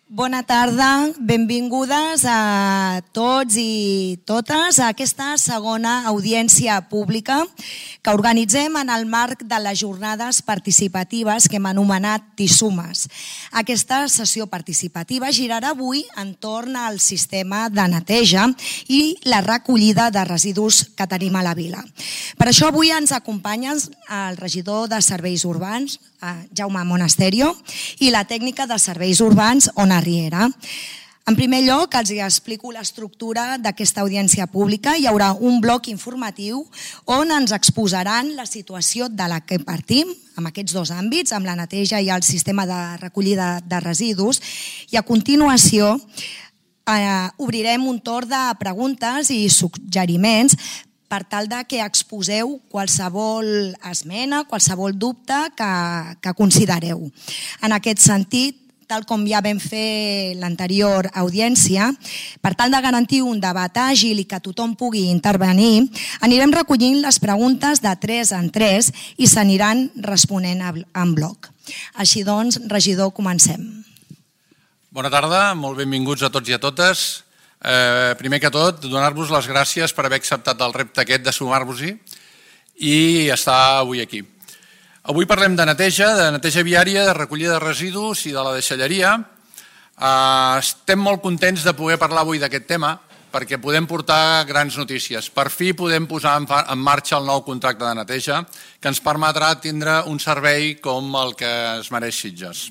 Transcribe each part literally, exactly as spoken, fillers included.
Bona tarda, benvingudes a tots i totes a aquesta segona audiència pública que organitzem en el marc de les jornades participatives que hem anomenat TISUMES. Aquesta sessió participativa girarà avui entorn al sistema de neteja i la recollida de residus que tenim a la vila. Per això avui ens acompanyen el regidor de Serveis Urbans, Jaume Monasterio, i la tècnica de Serveis Urbans, Ona Riera. En primer lloc, els explico l'estructura d'aquesta audiència pública. Hi haurà un bloc informatiu on ens exposaran la situació de la que partim, amb aquests dos àmbits, amb la neteja i el sistema de recollida de residus, i a continuació eh, obrirem un torn de preguntes i suggeriments per tal de que exposeu qualsevol esmena, qualsevol dubte que, que considereu. En aquest sentit, tal com ja vam fer l'anterior audiència, per tal de garantir un debat àgil i que tothom pugui intervenir, anirem recollint les preguntes de tres en tres i s'aniran responent en bloc. Així doncs, regidor, comencem. Bona tarda, molt benvinguts a tots i a totes. Eh, primer que tot, donar-vos les gràcies per haver acceptat el repte aquest de sumar-vos-hi i estar avui aquí. Avui parlem de neteja, de neteja viària, de recollida de residus i de la deixalleria. Eh, estem molt contents de poder parlar avui d'aquest tema perquè podem portar grans notícies. Per fi podem posar en marxa el nou contracte de neteja que ens permetrà tindre un servei com el que es mereix Sitges.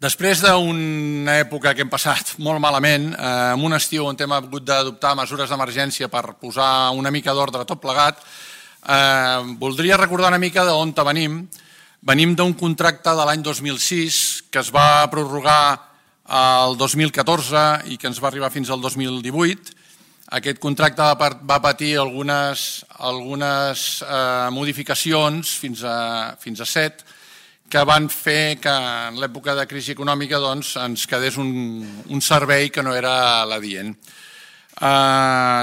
Després d'una època que hem passat molt malament, en un estiu on hem hagut d'adoptar mesures d'emergència per posar una mica d'ordre tot plegat, voldria recordar una mica d'on venim. Venim d'un contracte de l'any dos mil sis que es va prorrogar el dos mil catorze i que ens va arribar fins al dos mil divuit. Aquest contracte va patir algunes modificacions, fins a set, que van fer que en l'època de crisi econòmica ens quedés un servei que no era l'adient.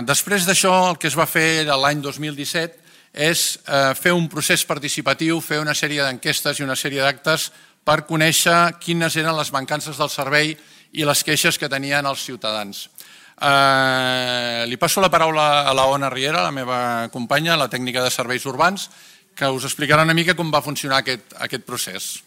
Després d'això, el que es va fer l'any dos mil disset és fer un procés participatiu, fer una sèrie d'enquestes i una sèrie d'actes per conèixer quines eren les mancances del servei i les queixes que tenien els ciutadans. Li passo la paraula a la Ona Riera, la meva companya, la tècnica de Serveis Urbans, que us explicarà una mica com va funcionar aquest procés.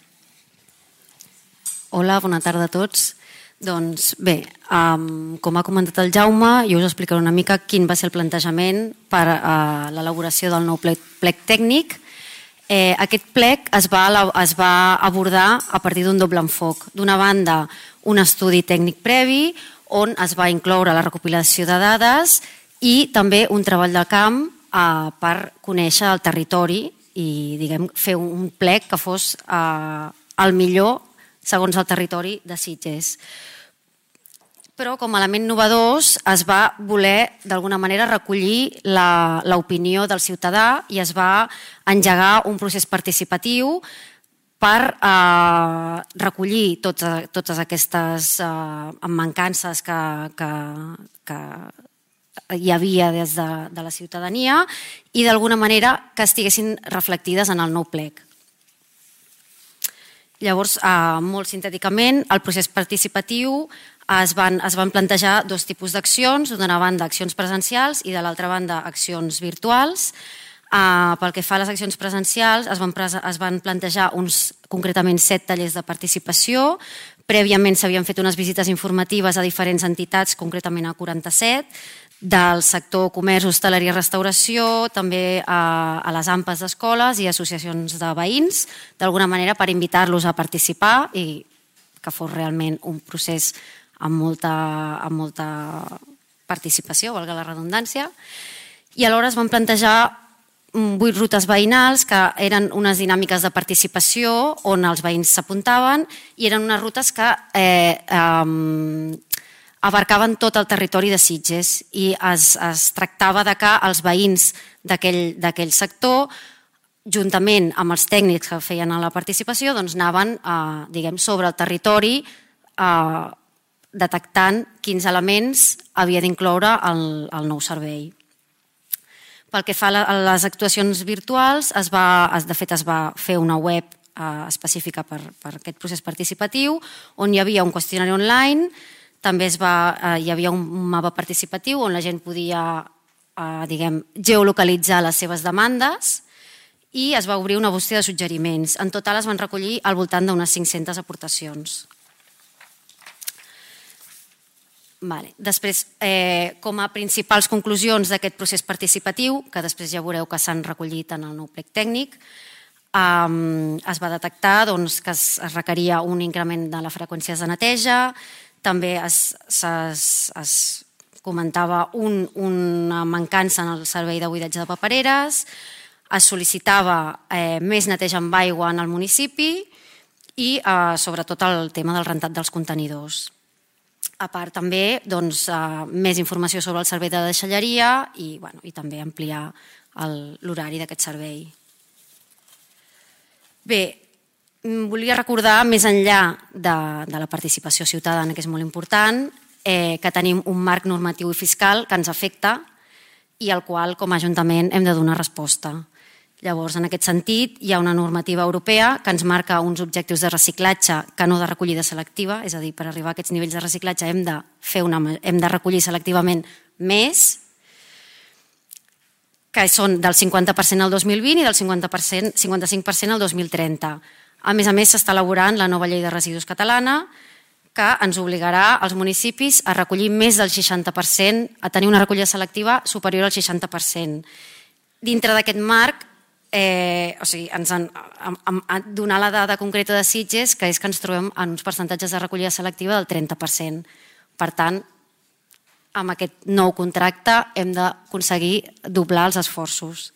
Hola, bona tarda a tots. Doncs bé, com ha comentat el Jaume, jo us explicaré una mica quin va ser el plantejament per a l'elaboració del nou plec tècnic. Aquest plec es va abordar a partir d'un doble enfoc. D'una banda, un estudi tècnic previ on es va incloure la recopilació de dades i també un treball de camp per conèixer el territori i fer un plec que fos el millor segons el territori de Sitges. Però com a element innovadors es va voler d'alguna manera recollir l'opinió del ciutadà i es va engegar un procés participatiu per recollir totes aquestes mancances que hi havia des de la ciutadania i d'alguna manera que estiguessin reflectides en el nou plec. Llavors, molt sintèticament, el procés participatiu es van plantejar dos tipus d'accions, d'una banda accions presencials i de l'altra banda accions virtuals. Pel que fa a les accions presencials, es van plantejar uns concretament set tallers de participació. Prèviament s'havien fet unes visites informatives a diferents entitats, concretament a quaranta-set, del sector comerç, hostaleria i restauració, també a les AMPAs d'escoles i associacions de veïns, d'alguna manera per invitar-los a participar i que fos realment un procés amb molta participació, valga la redundància. I alhora es van plantejar vuit rutes veïnals que eren unes dinàmiques de participació on els veïns s'apuntaven i eren unes rutes que abarcaven tot el territori de Sitges i es tractava que els veïns d'aquell sector, juntament amb els tècnics que feien la participació, anaven sobre el territori detectant quins elements havia d'incloure el nou servei. Pel que fa a les actuacions virtuals, de fet es va fer una web específica per aquest procés participatiu, on hi havia un qüestionari online, també hi havia un mapa participatiu on la gent podia geolocalitzar les seves demandes i es va obrir una bústia de suggeriments. En total es van recollir al voltant d'unes cinc-centes aportacions. Després, com a principals conclusions d'aquest procés participatiu, que després ja veureu que s'han recollit en el nou plec tècnic, es va detectar que es requeria un increment de la freqüència de neteja, també es comentava una mancança en el servei de buidatge de papereres, es sol·licitava més neteja amb aigua en el municipi i sobretot el tema del rentat dels contenidors. A part també més informació sobre el servei de deixalleria i també ampliar l'horari d'aquest servei. Bé, volia recordar, més enllà de la participació ciutadana, que és molt important, que tenim un marc normatiu i fiscal que ens afecta i al qual, com a Ajuntament, hem de donar resposta. Llavors, en aquest sentit, hi ha una normativa europea que ens marca uns objectius de reciclatge que no de recollida selectiva, és a dir, per arribar a aquests nivells de reciclatge hem de, hem de recollir selectivament més, que són del cinquanta per cent al dos mil vint i del cinquanta-cinc per cent al dos mil trenta. A més a més, s'està elaborant la nova llei de residus catalana, que ens obligarà als municipis a recollir més del seixanta per cent, a tenir una recollida selectiva superior al seixanta per cent. Dintre d'aquest marc, o sigui, ens han donat la dada concreta de Sitges, que és que ens trobem en uns percentatges de recollida selectiva del trenta per cent. Per tant, amb aquest nou contracte hem d'aconseguir doblar els esforços.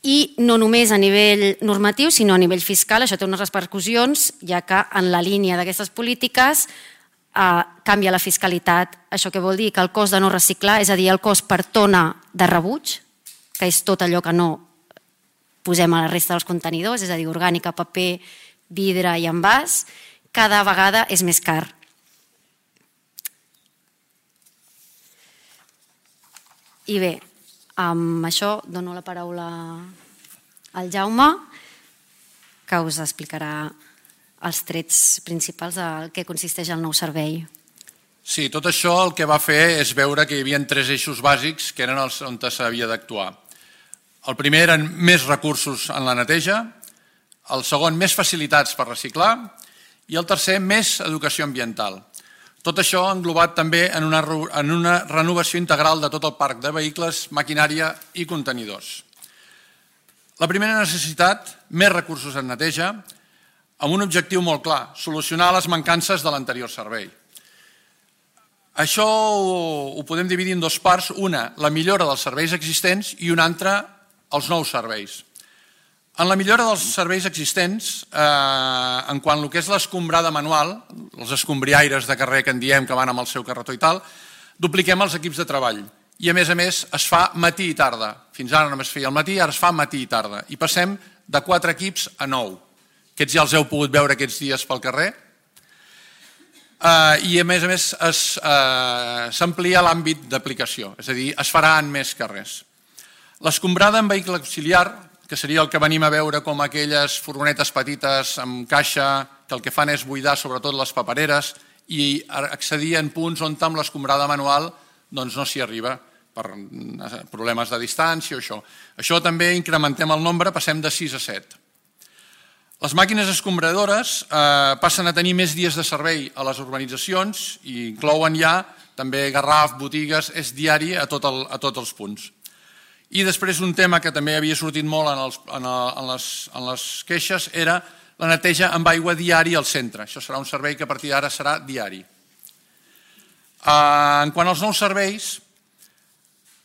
I no només a nivell normatiu, sinó a nivell fiscal, això té unes repercussions, ja que en la línia d'aquestes polítiques canvia la fiscalitat. Això què vol dir? Que el cost de no reciclar, és a dir, el cost per tona de rebuig, que és tot allò que no posem a la resta dels contenidors, és a dir, orgànica, paper, vidre i envàs, cada vegada és més car. I bé, amb això dono la paraula al Jaume, que us explicarà els trets principals del que consisteix el nou servei. Sí, tot això el que va fer és veure que hi havia tres eixos bàsics que eren els on s'havia d'actuar. El primer eren més recursos en la neteja, el segon més facilitats per reciclar i el tercer més educació ambiental. Tot això englobat també en una renovació integral de tot el parc de vehicles, maquinària i contenidors. La primera necessitat, més recursos en neteja, amb un objectiu molt clar, solucionar les mancances de l'anterior servei. Això ho podem dividir en dues parts, una, la millora dels serveis existents i una altra, els nous serveis. En la millora dels serveis existents, en quant al que és l'escombrada manual, els escombriaires de carrer que en diem que van amb el seu carretó i tal, dupliquem els equips de treball. I a més a més es fa matí i tarda. Fins ara només feia el matí, ara es fa matí i tarda. I passem de quatre equips a nou. Aquests ja els heu pogut veure aquests dies pel carrer. I a més a més s'amplia l'àmbit d'aplicació, és a dir, es farà en més carrers. L'escombrada en vehicle auxiliar, que seria el que venim a veure com aquelles furgonetes petites amb caixa que el que fan és buidar sobretot les papereres i accedir en punts on amb l'escombrada manual doncs no s'hi arriba per problemes de distància o això. Això també incrementem el nombre, passem de sis a set. Les màquines escombradores passen a tenir més dies de servei a les urbanitzacions i inclouen ja també Garraf, botigues, és diari a tots els punts. I després un tema que també havia sortit molt en les queixes era la neteja amb aigua diària al centre. Això serà un servei que a partir d'ara serà diari. En quant als nous serveis,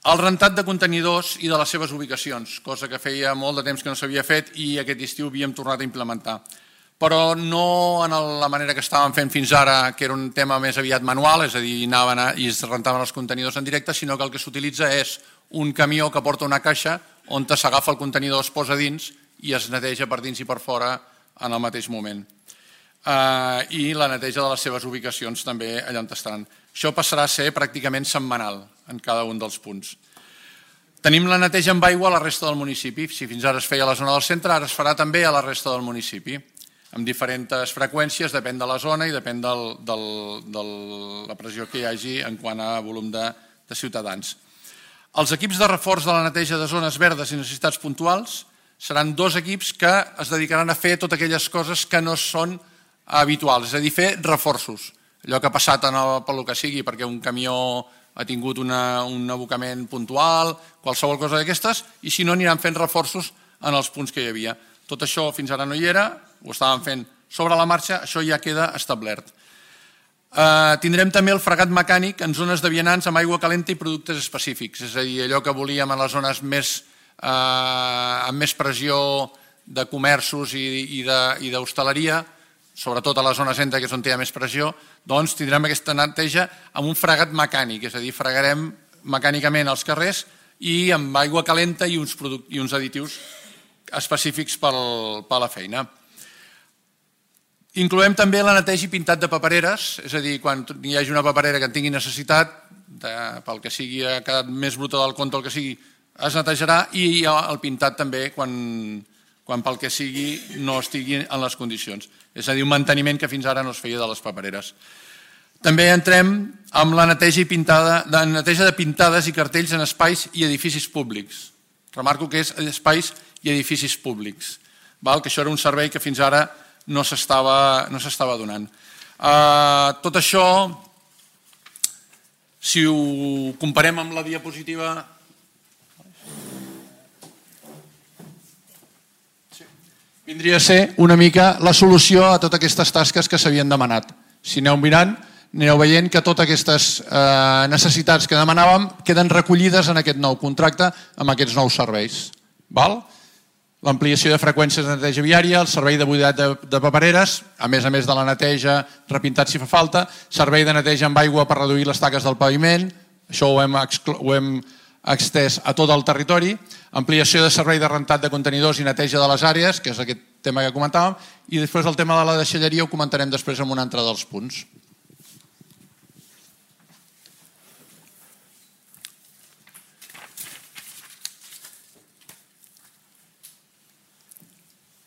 el rentat de contenidors i de les seves ubicacions, cosa que feia molt de temps que no s'havia fet i aquest estiu havíem tornat a implementar. Però no en la manera que estàvem fent fins ara, que era un tema més aviat manual, és a dir, anaven i es rentaven els contenidors en directe, sinó que el que s'utilitza és un camió que porta una caixa on s'agafa el contenidor, es posa dins i es neteja per dins i per fora en el mateix moment. I la neteja de les seves ubicacions també allà on estaran. Això passarà a ser pràcticament setmanal en cada un dels punts. Tenim la neteja amb aigua a la resta del municipi. Si fins ara es feia a la zona del centre, ara es farà també a la resta del municipi, amb diferents freqüències, depèn de la zona i depèn del, del, de la pressió que hi hagi en quant a volum de, de ciutadans. Els equips de reforç de la neteja de zones verdes i necessitats puntuals seran dos equips que es dedicaran a fer totes aquelles coses que no són habituals, és a dir, fer reforços. Allò que ha passat en el, pel que sigui, perquè un camió ha tingut una, un abocament puntual, qualsevol cosa d'aquestes, i si no aniran fent reforços en els punts que hi havia. Tot això fins ara no hi era, ho estàvem fent sobre la marxa, això ja queda establert. Uh, tindrem també el fregat mecànic en zones de vianants amb aigua calenta i productes específics, és a dir, allò que volíem en les zones més, uh, amb més pressió de comerços i, i d'hostaleria, sobretot a la zona centre, que és on hi ha més pressió, doncs tindrem aquesta neteja amb un fregat mecànic, és a dir, fregarem mecànicament els carrers i amb aigua calenta i uns, i uns additius específics per la feina. Incloem també la neteja i pintat de papereres, és a dir, quan hi hagi una paperera que en tingui necessitat, de, pel que sigui, ha quedat més bruta del compte, el que sigui, es netejarà, i el pintat també quan, quan pel que sigui no estigui en les condicions. És a dir, un manteniment que fins ara no es feia de les papereres. També entrem amb la neteja, i pintada, de, neteja de pintades i cartells en espais i edificis públics. Remarco que és espais i edificis públics, val? Que això era un servei que fins ara no s'estava no s'estava donant. Uh, tot això, si ho comparem amb la diapositiva, vindria a ser una mica la solució a totes aquestes tasques que s'havien demanat. Si aneu mirant, aneu veient que totes aquestes eh, necessitats que demanàvem queden recollides en aquest nou contracte amb aquests nous serveis. Val? L'ampliació de freqüències de neteja viària, el servei de buidat de, de papereres, a més a més de la neteja, repintat si fa falta, servei de neteja amb aigua per reduir les taques del paviment, això ho hem, ho hem extès a tot el territori, ampliació de servei de rentat de contenidors i neteja de les àrees, que és aquest tema que comentàvem, i després el tema de la deixalleria ho comentarem després en un altre dels punts.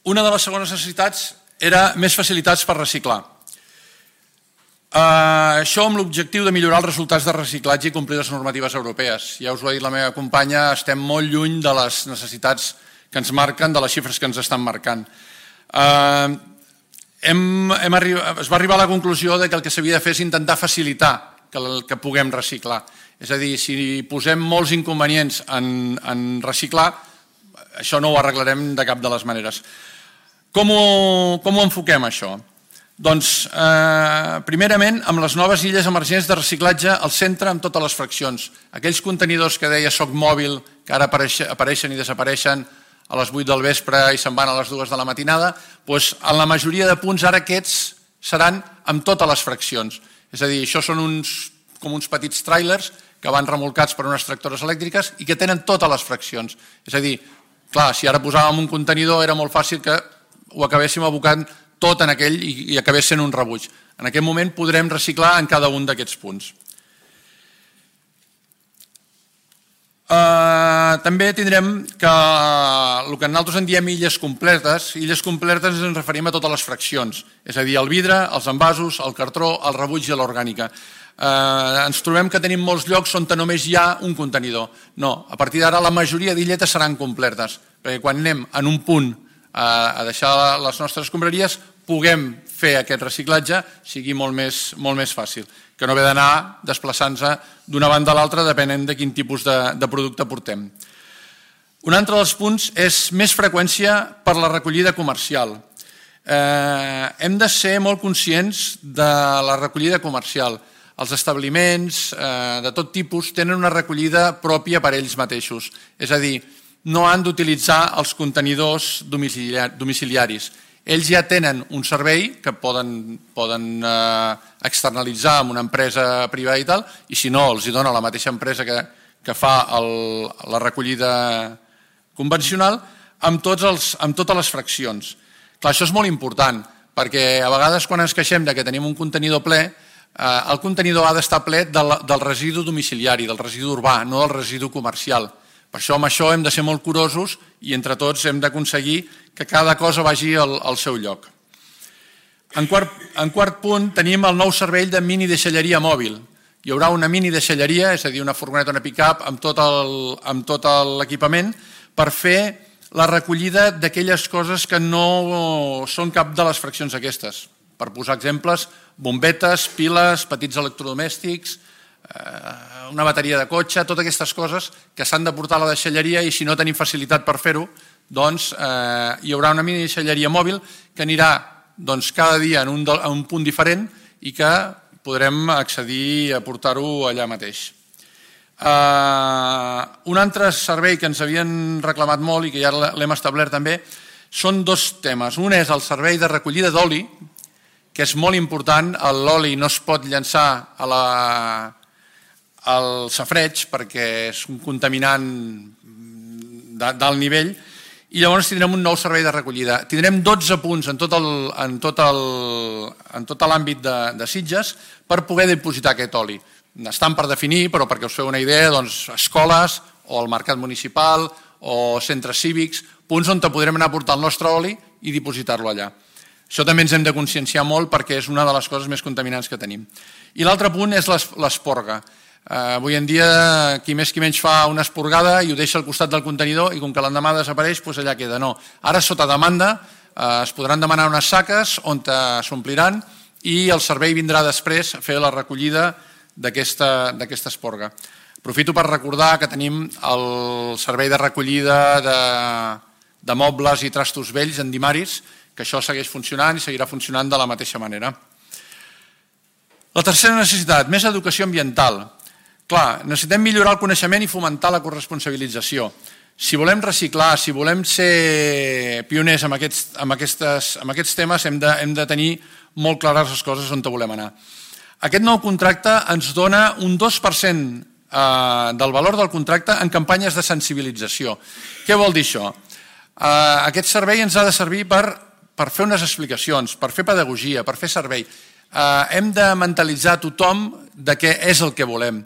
Una de les segones necessitats era més facilitats per reciclar. Uh, això amb l'objectiu de millorar els resultats de reciclatge i complir les normatives europees. Ja us ho ha dit la meva companya, estem molt lluny de les necessitats que ens marquen, de les xifres que ens estan marcant. Uh, hem, hem arribat, es va arribar a la conclusió de que el que s'havia de fer és intentar facilitar que, que puguem reciclar. És a dir, si posem molts inconvenients en, en reciclar, això no ho arreglarem de cap de les maneres. Com ho, com ho enfoquem, això? Doncs, eh, primerament, amb les noves illes emergents de reciclatge al centre amb totes les fraccions. Aquells contenidors que deia Soc Mòbil, que ara apareixen i desapareixen a les vuit del vespre i se'n van a les dues de la matinada, doncs, en la majoria de punts ara aquests seran amb totes les fraccions. És a dir, això són uns, com uns petits tràilers que van remolcats per unes tractores elèctriques i que tenen totes les fraccions. És a dir, clar, si ara posàvem un contenidor era molt fàcil que ho acabéssim abocant tot en aquell i acabés sent un rebuig. En aquest moment podrem reciclar en cada un d'aquests punts. Uh, també tindrem que el que nosaltres en diem illes completes, illes completes ens referim a totes les fraccions, és a dir, el vidre, els envasos, el cartró, el rebuig i l'orgànica. Uh, ens trobem que tenim molts llocs on només hi ha un contenidor. No, a partir d'ara la majoria d'illetes seran completes, perquè quan anem en un punt a deixar les nostres escombraries puguem fer aquest reciclatge sigui molt més, molt més fàcil, que no haver d'anar desplaçant-se d'una banda a l'altra depenent de quin tipus de, de producte portem. Un altre dels punts és més freqüència per la recollida comercial. Eh, hem de ser molt conscients de la recollida comercial. Els establiments eh, de tot tipus tenen una recollida pròpia per ells mateixos, és a dir, no han d'utilitzar els contenidors domiciliaris. Ells ja tenen un servei que poden, poden eh, externalitzar amb una empresa privada i tal, i si no, els hi dona la mateixa empresa que, que fa el, la recollida convencional amb, tots els, amb totes les fraccions. Clar, això és molt important, perquè a vegades quan ens queixem de que tenim un contenidor ple, eh, el contenidor ha d'estar ple del, del residu domiciliari, del residu urbà, no del residu comercial, Per això amb això hem de ser molt curosos i entre tots hem d'aconseguir que cada cosa vagi al, al seu lloc. En quart, en quart punt tenim el nou servei de mini deixalleria mòbil. Hi haurà una mini deixalleria, és a dir, una furgoneta, una pick-up amb tot el, amb tot l'equipament per fer la recollida d'aquelles coses que no són cap de les fraccions aquestes. Per posar exemples, bombetes, piles, petits electrodomèstics, una bateria de cotxe, totes aquestes coses que s'han de portar a la deixalleria i si no tenim facilitat per fer-ho, doncs eh, hi haurà una mini deixalleria mòbil que anirà doncs, cada dia en un, en un punt diferent i que podrem accedir a portar-ho allà mateix. Uh, un altre servei que ens havien reclamat molt i que ja l'hem establert també són dos temes. Un és el servei de recollida d'oli, que és molt important. L'oli no es pot llançar a la, al safareig perquè és un contaminant d'alt nivell i llavors tindrem un nou servei de recollida. Tindrem dotze punts en tot l'àmbit de, de Sitges per poder dipositar aquest oli. Estan per definir, però perquè us feu una idea, doncs, escoles o el mercat municipal o centres cívics, punts on podrem anar a portar el nostre oli i dipositar-lo allà. Això també ens hem de conscienciar molt perquè és una de les coses més contaminants que tenim. I l'altre punt és l'esporga. Uh, avui en dia, qui més qui menys fa una esporgada i ho deixa al costat del contenidor i com que l'endemà desapareix, doncs allà queda. No. Ara, sota demanda, uh, es podran demanar unes saques on s'ompliran i el servei vindrà després a fer la recollida d'aquesta esporga. Aprofito per recordar que tenim el servei de recollida de, de mobles i trastos vells en Dimaris, que això segueix funcionant i seguirà funcionant de la mateixa manera. La tercera necessitat, més educació ambiental. Clar, necessitem millorar el coneixement i fomentar la corresponsabilització. Si volem reciclar, si volem ser pioners en aquests, en aquestes, en aquests temes, hem de, hem de tenir molt clares les coses on volem anar. Aquest nou contracte ens dona un dos per cent del valor del contracte en campanyes de sensibilització. Què vol dir això? Aquest servei ens ha de servir per, per fer unes explicacions, per fer pedagogia, per fer servei. Hem de mentalitzar tothom de què és el que volem.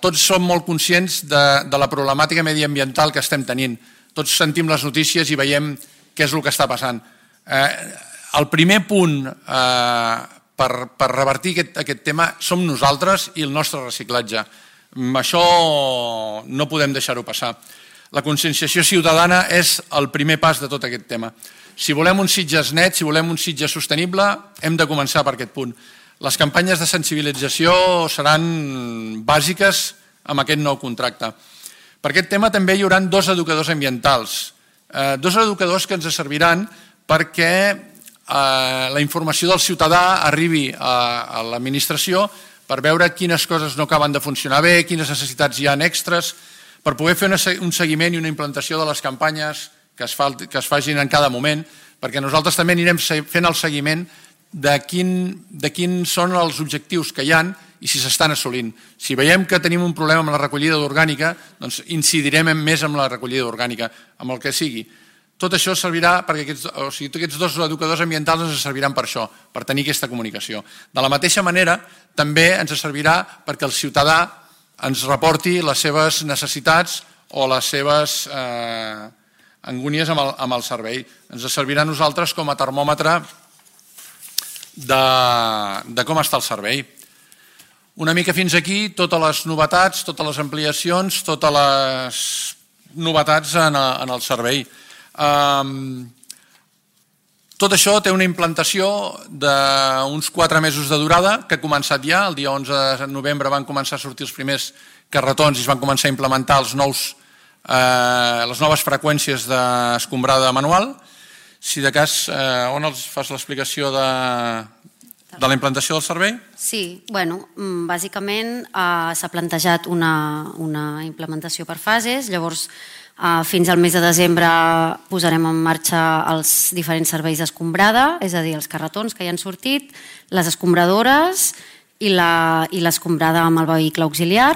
Tots som molt conscients de, de la problemàtica mediambiental que estem tenint. Tots sentim les notícies i veiem què és el que està passant. El primer punt per, per revertir aquest, aquest tema som nosaltres i el nostre reciclatge. Això no podem deixar-ho passar. La conscienciació ciutadana és el primer pas de tot aquest tema. Si volem un Sitges net, si volem un Sitges sostenible, hem de començar per aquest punt. Les campanyes de sensibilització seran bàsiques amb aquest nou contracte. Per aquest tema també hi haurà dos educadors ambientals, eh, dos educadors que ens serviran perquè eh, la informació del ciutadà arribi a, a l'administració per veure quines coses no acaben de funcionar bé, quines necessitats hi ha extres, per poder fer una, un seguiment i una implantació de les campanyes que es, fa, que es facin en cada moment, perquè nosaltres també anirem fent el seguiment de, quin, de quins són els objectius que hi ha i si s'estan assolint. Si veiem que tenim un problema amb la recollida d'orgànica, doncs incidirem més amb la recollida d'orgànica, amb el que sigui. Tot això servirà perquè aquests, o sigui, aquests dos educadors ambientals ens serviran per això, per tenir aquesta comunicació. De la mateixa manera, també ens servirà perquè el ciutadà ens reporti les seves necessitats o les seves eh, angúnies amb el, amb el servei. Ens servirà a nosaltres com a termòmetre de, de com està el servei. Una mica fins aquí, totes les novetats, totes les ampliacions, totes les novetats en, en el servei. Um, tot això té una implantació d'uns quatre mesos de durada que ha començat ja, el dia onze de novembre van començar a sortir els primers carretons i es van començar a implementar els nous, eh, les noves freqüències d'escombrada manual. Si de cas, eh, on els fas l'explicació de, de la implantació del servei? Sí, bueno, bàsicament eh, s'ha plantejat una, una implementació per fases, llavors Uh, fins al mes de desembre posarem en marxa els diferents serveis d'escombrada, és a dir, els carretons que ja han sortit, les escombradores i l'escombrada amb el vehicle auxiliar.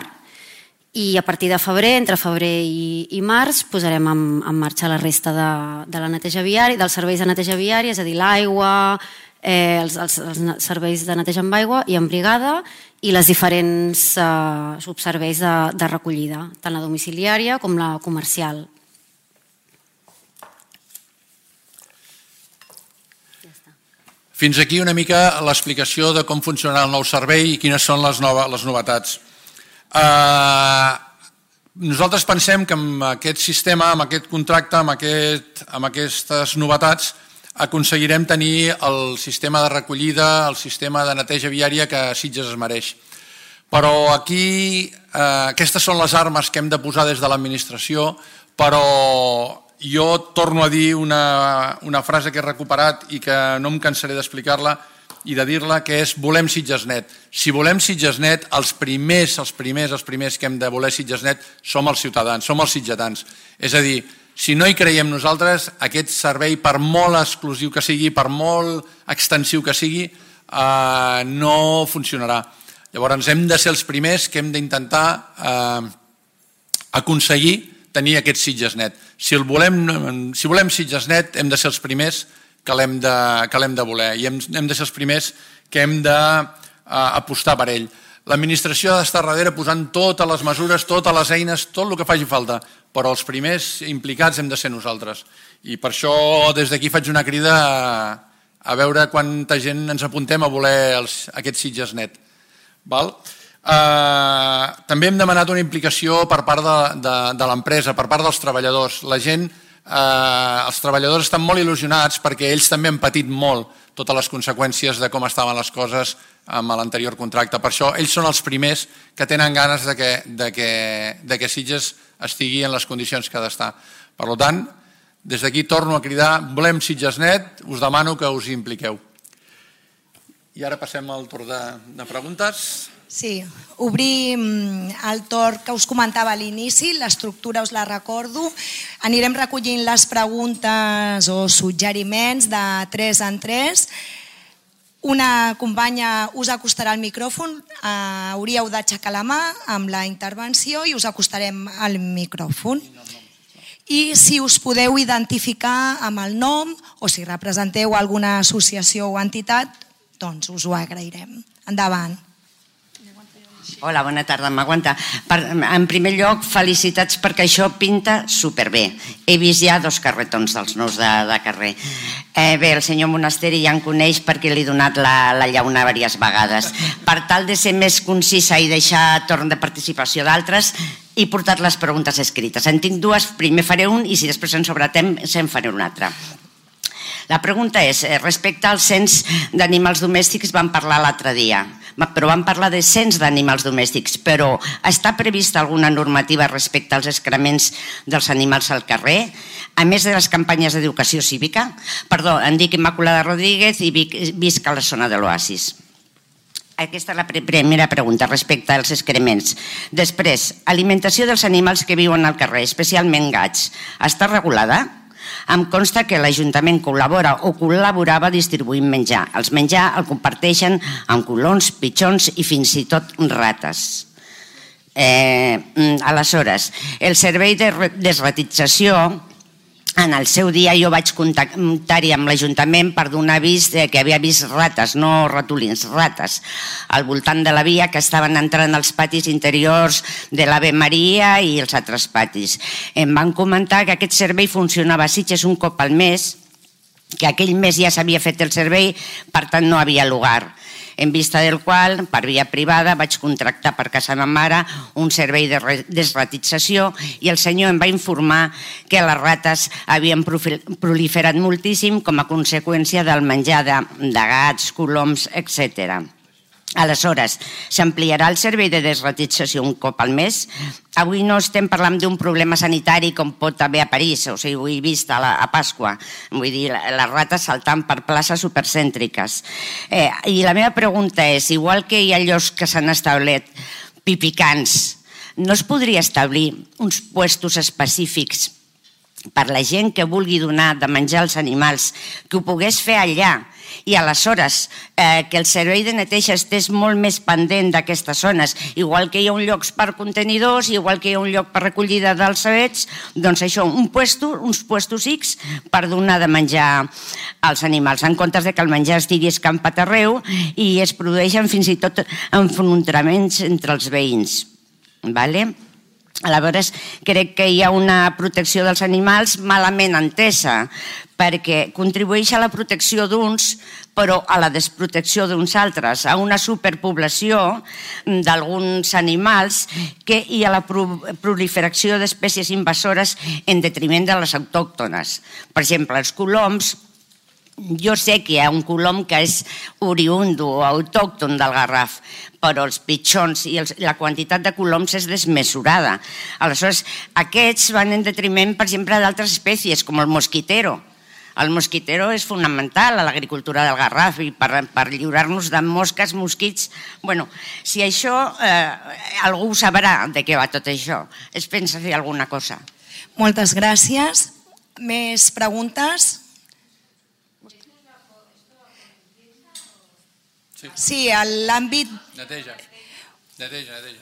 I a partir de febrer, entre febrer i, i març, posarem en, en marxa la resta de, de la neteja viària, dels serveis de neteja viària, és a dir, l'aigua, els serveis de neteja amb aigua i amb brigada i les diferents subserveis de recollida, tant la domiciliària com la comercial. Fins aquí una mica l'explicació de com funciona el nou servei i quines són les novetats. Nosaltres pensem que amb aquest sistema, amb aquest contracte, amb aquestes novetats, aconseguirem tenir el sistema de recollida, el sistema de neteja viària que Sitges es mereix. Però aquí, aquestes són les armes que hem de posar des de l'administració, però jo torno a dir una frase que he recuperat i que no em cansaré d'explicar-la i de dir-la, que és volem Sitges net. Si volem Sitges net, els primers, els primers, els primers que hem de voler Sitges net som els ciutadans, som els sitgetans. És a dir, si no hi creiem nosaltres, aquest servei, per molt exclusiu que sigui, per molt extensiu que sigui, no funcionarà. Llavors hem de ser els primers que hem d'intentar aconseguir tenir aquest Sitges net. Si volem Sitges net, hem de ser els primers que l'hem de voler i hem de ser els primers que hem d'apostar per ell. L'administració ha d'estar darrere posant totes les mesures, totes les eines, tot el que faci falta, però els primers implicats hem de ser nosaltres. I per això des d'aquí faig una crida a veure quanta gent ens apuntem a voler aquest Sitges net. També hem demanat una implicació per part de l'empresa, per part dels treballadors. La gent, els treballadors estan molt il·lusionats perquè ells també han patit molt totes les conseqüències de com estaven les coses amb l'anterior contracte. Per això ells són els primers que tenen ganes de que Sitges estigui en les condicions que ha d'estar. Per tant, des d'aquí torno a cridar, volem Sitges net, us demano que us hi impliqueu. I ara passem al torn de preguntes. Sí, obrim el torn que us comentava a l'inici, l'estructura us la recordo. Anirem recollint les preguntes o suggeriments de tres en tres. Una companya us acostarà al micròfon, hauríeu d'aixecar la mà amb la intervenció i us acostarem al micròfon. I si us podeu identificar amb el nom o si representeu alguna associació o entitat, doncs us ho agrairem. Endavant. Hola, bona tarda, m'aguanta. En primer lloc, felicitats perquè això pinta superbé. He vist ja dos carretons dels nous de carrer. Bé, el senyor Monasteri ja em coneix perquè li he donat la llauna diverses vegades. Per tal de ser més concisa i deixar torn de participació d'altres, he portat les preguntes escrites. En tinc dues, primer faré un i si després en sobra temps en faré una altra. La pregunta és, respecte al cens d'animals domèstics vam parlar l'altre dia, però vam parlar de cens d'animals domèstics, però està prevista alguna normativa respecte als excrements dels animals al carrer, a més de les campanyes d'educació cívica? Perdó, em dic Immaculada Rodríguez i visc a la zona de l'Oasis. Aquesta és la primera pregunta respecte als excrements. Després, alimentació dels animals que viuen al carrer, especialment gats, està regulada? Em consta que l'Ajuntament col·labora o col·laborava distribuint menjar. Els menjar el comparteixen amb colons, pitxons i fins i tot rates. Aleshores, el servei de desratització, en el seu dia jo vaig contactar-hi amb l'Ajuntament per donar avís que havia vist rates, no ratolins, rates, al voltant de la via que estaven entrant als patis interiors de l'Ave Maria i els altres patis. Em van comentar que aquest servei funcionava a Sitges un cop al mes, que aquell mes ja s'havia fet el servei, per tant no havia lugar. En vista del qual, per via privada, vaig contractar per casa ma mare un servei de desratització i el senyor em va informar que les rates havien proliferat moltíssim com a conseqüència del menjar de gats, coloms, etcètera. Aleshores, s'ampliarà el servei de desratització un cop al mes? Avui no estem parlant d'un problema sanitari com pot haver a París, o sigui, ho he vist a Pasqua, vull dir, les rates saltant per places supercèntriques. I la meva pregunta és, igual que hi ha llocs que s'han establert pipicants, no es podria establir uns puestos específics per la gent que vulgui donar de menjar als animals, que ho pogués fer allà I aleshores, eh, que el servei de neteja estés molt més pendent d'aquestes zones, igual que hi ha un lloc per contenidors, igual que hi ha un lloc per recollida dels cebets, doncs això, un puesto, uns puestos X per donar de menjar als animals, en comptes de que el menjar estigui escampat arreu i es produeixen fins i tot enfrontaments entre els veïns. Vale? Aleshores, crec que hi ha una protecció dels animals malament entesa, perquè contribueix a la protecció d'uns, però a la desprotecció d'uns altres, a una superpoblació d'alguns animals i a la proliferació d'espècies invasores en detriment de les autòctones. Per exemple, els coloms, jo sé que hi ha un colom que és oriundo o autòcton del Garraf, però els pitxons i la quantitat de coloms és desmesurada. Aleshores, aquests van en detriment, per exemple, d'altres espècies, com el mosquitero. El mosquitero és fonamental a l'agricultura del Garraf i per lliurar-nos de mosques, mosquits... Bueno, si això, algú ho sabrà de què va tot això. Es pensa fer alguna cosa. Moltes gràcies. Més preguntes? Sí, l'àmbit... Neteja, neteja, neteja.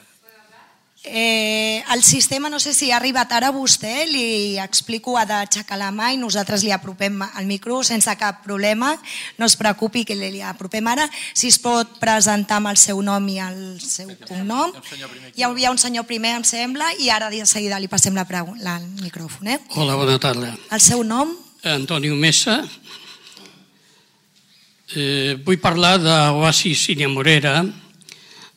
El sistema, no sé si ha arribat ara a vostè, li explico, ha d'aixecar la mà i nosaltres li apropem el micro sense cap problema. No es preocupi que li apropem ara. Si es pot presentar amb el seu nom i el seu cognom. Hi havia un senyor primer, em sembla, i ara de seguida li passem el micròfon. Hola, bona tarda. El seu nom? Antonio Mesa. Vull parlar d'Oasis Sínia Morera.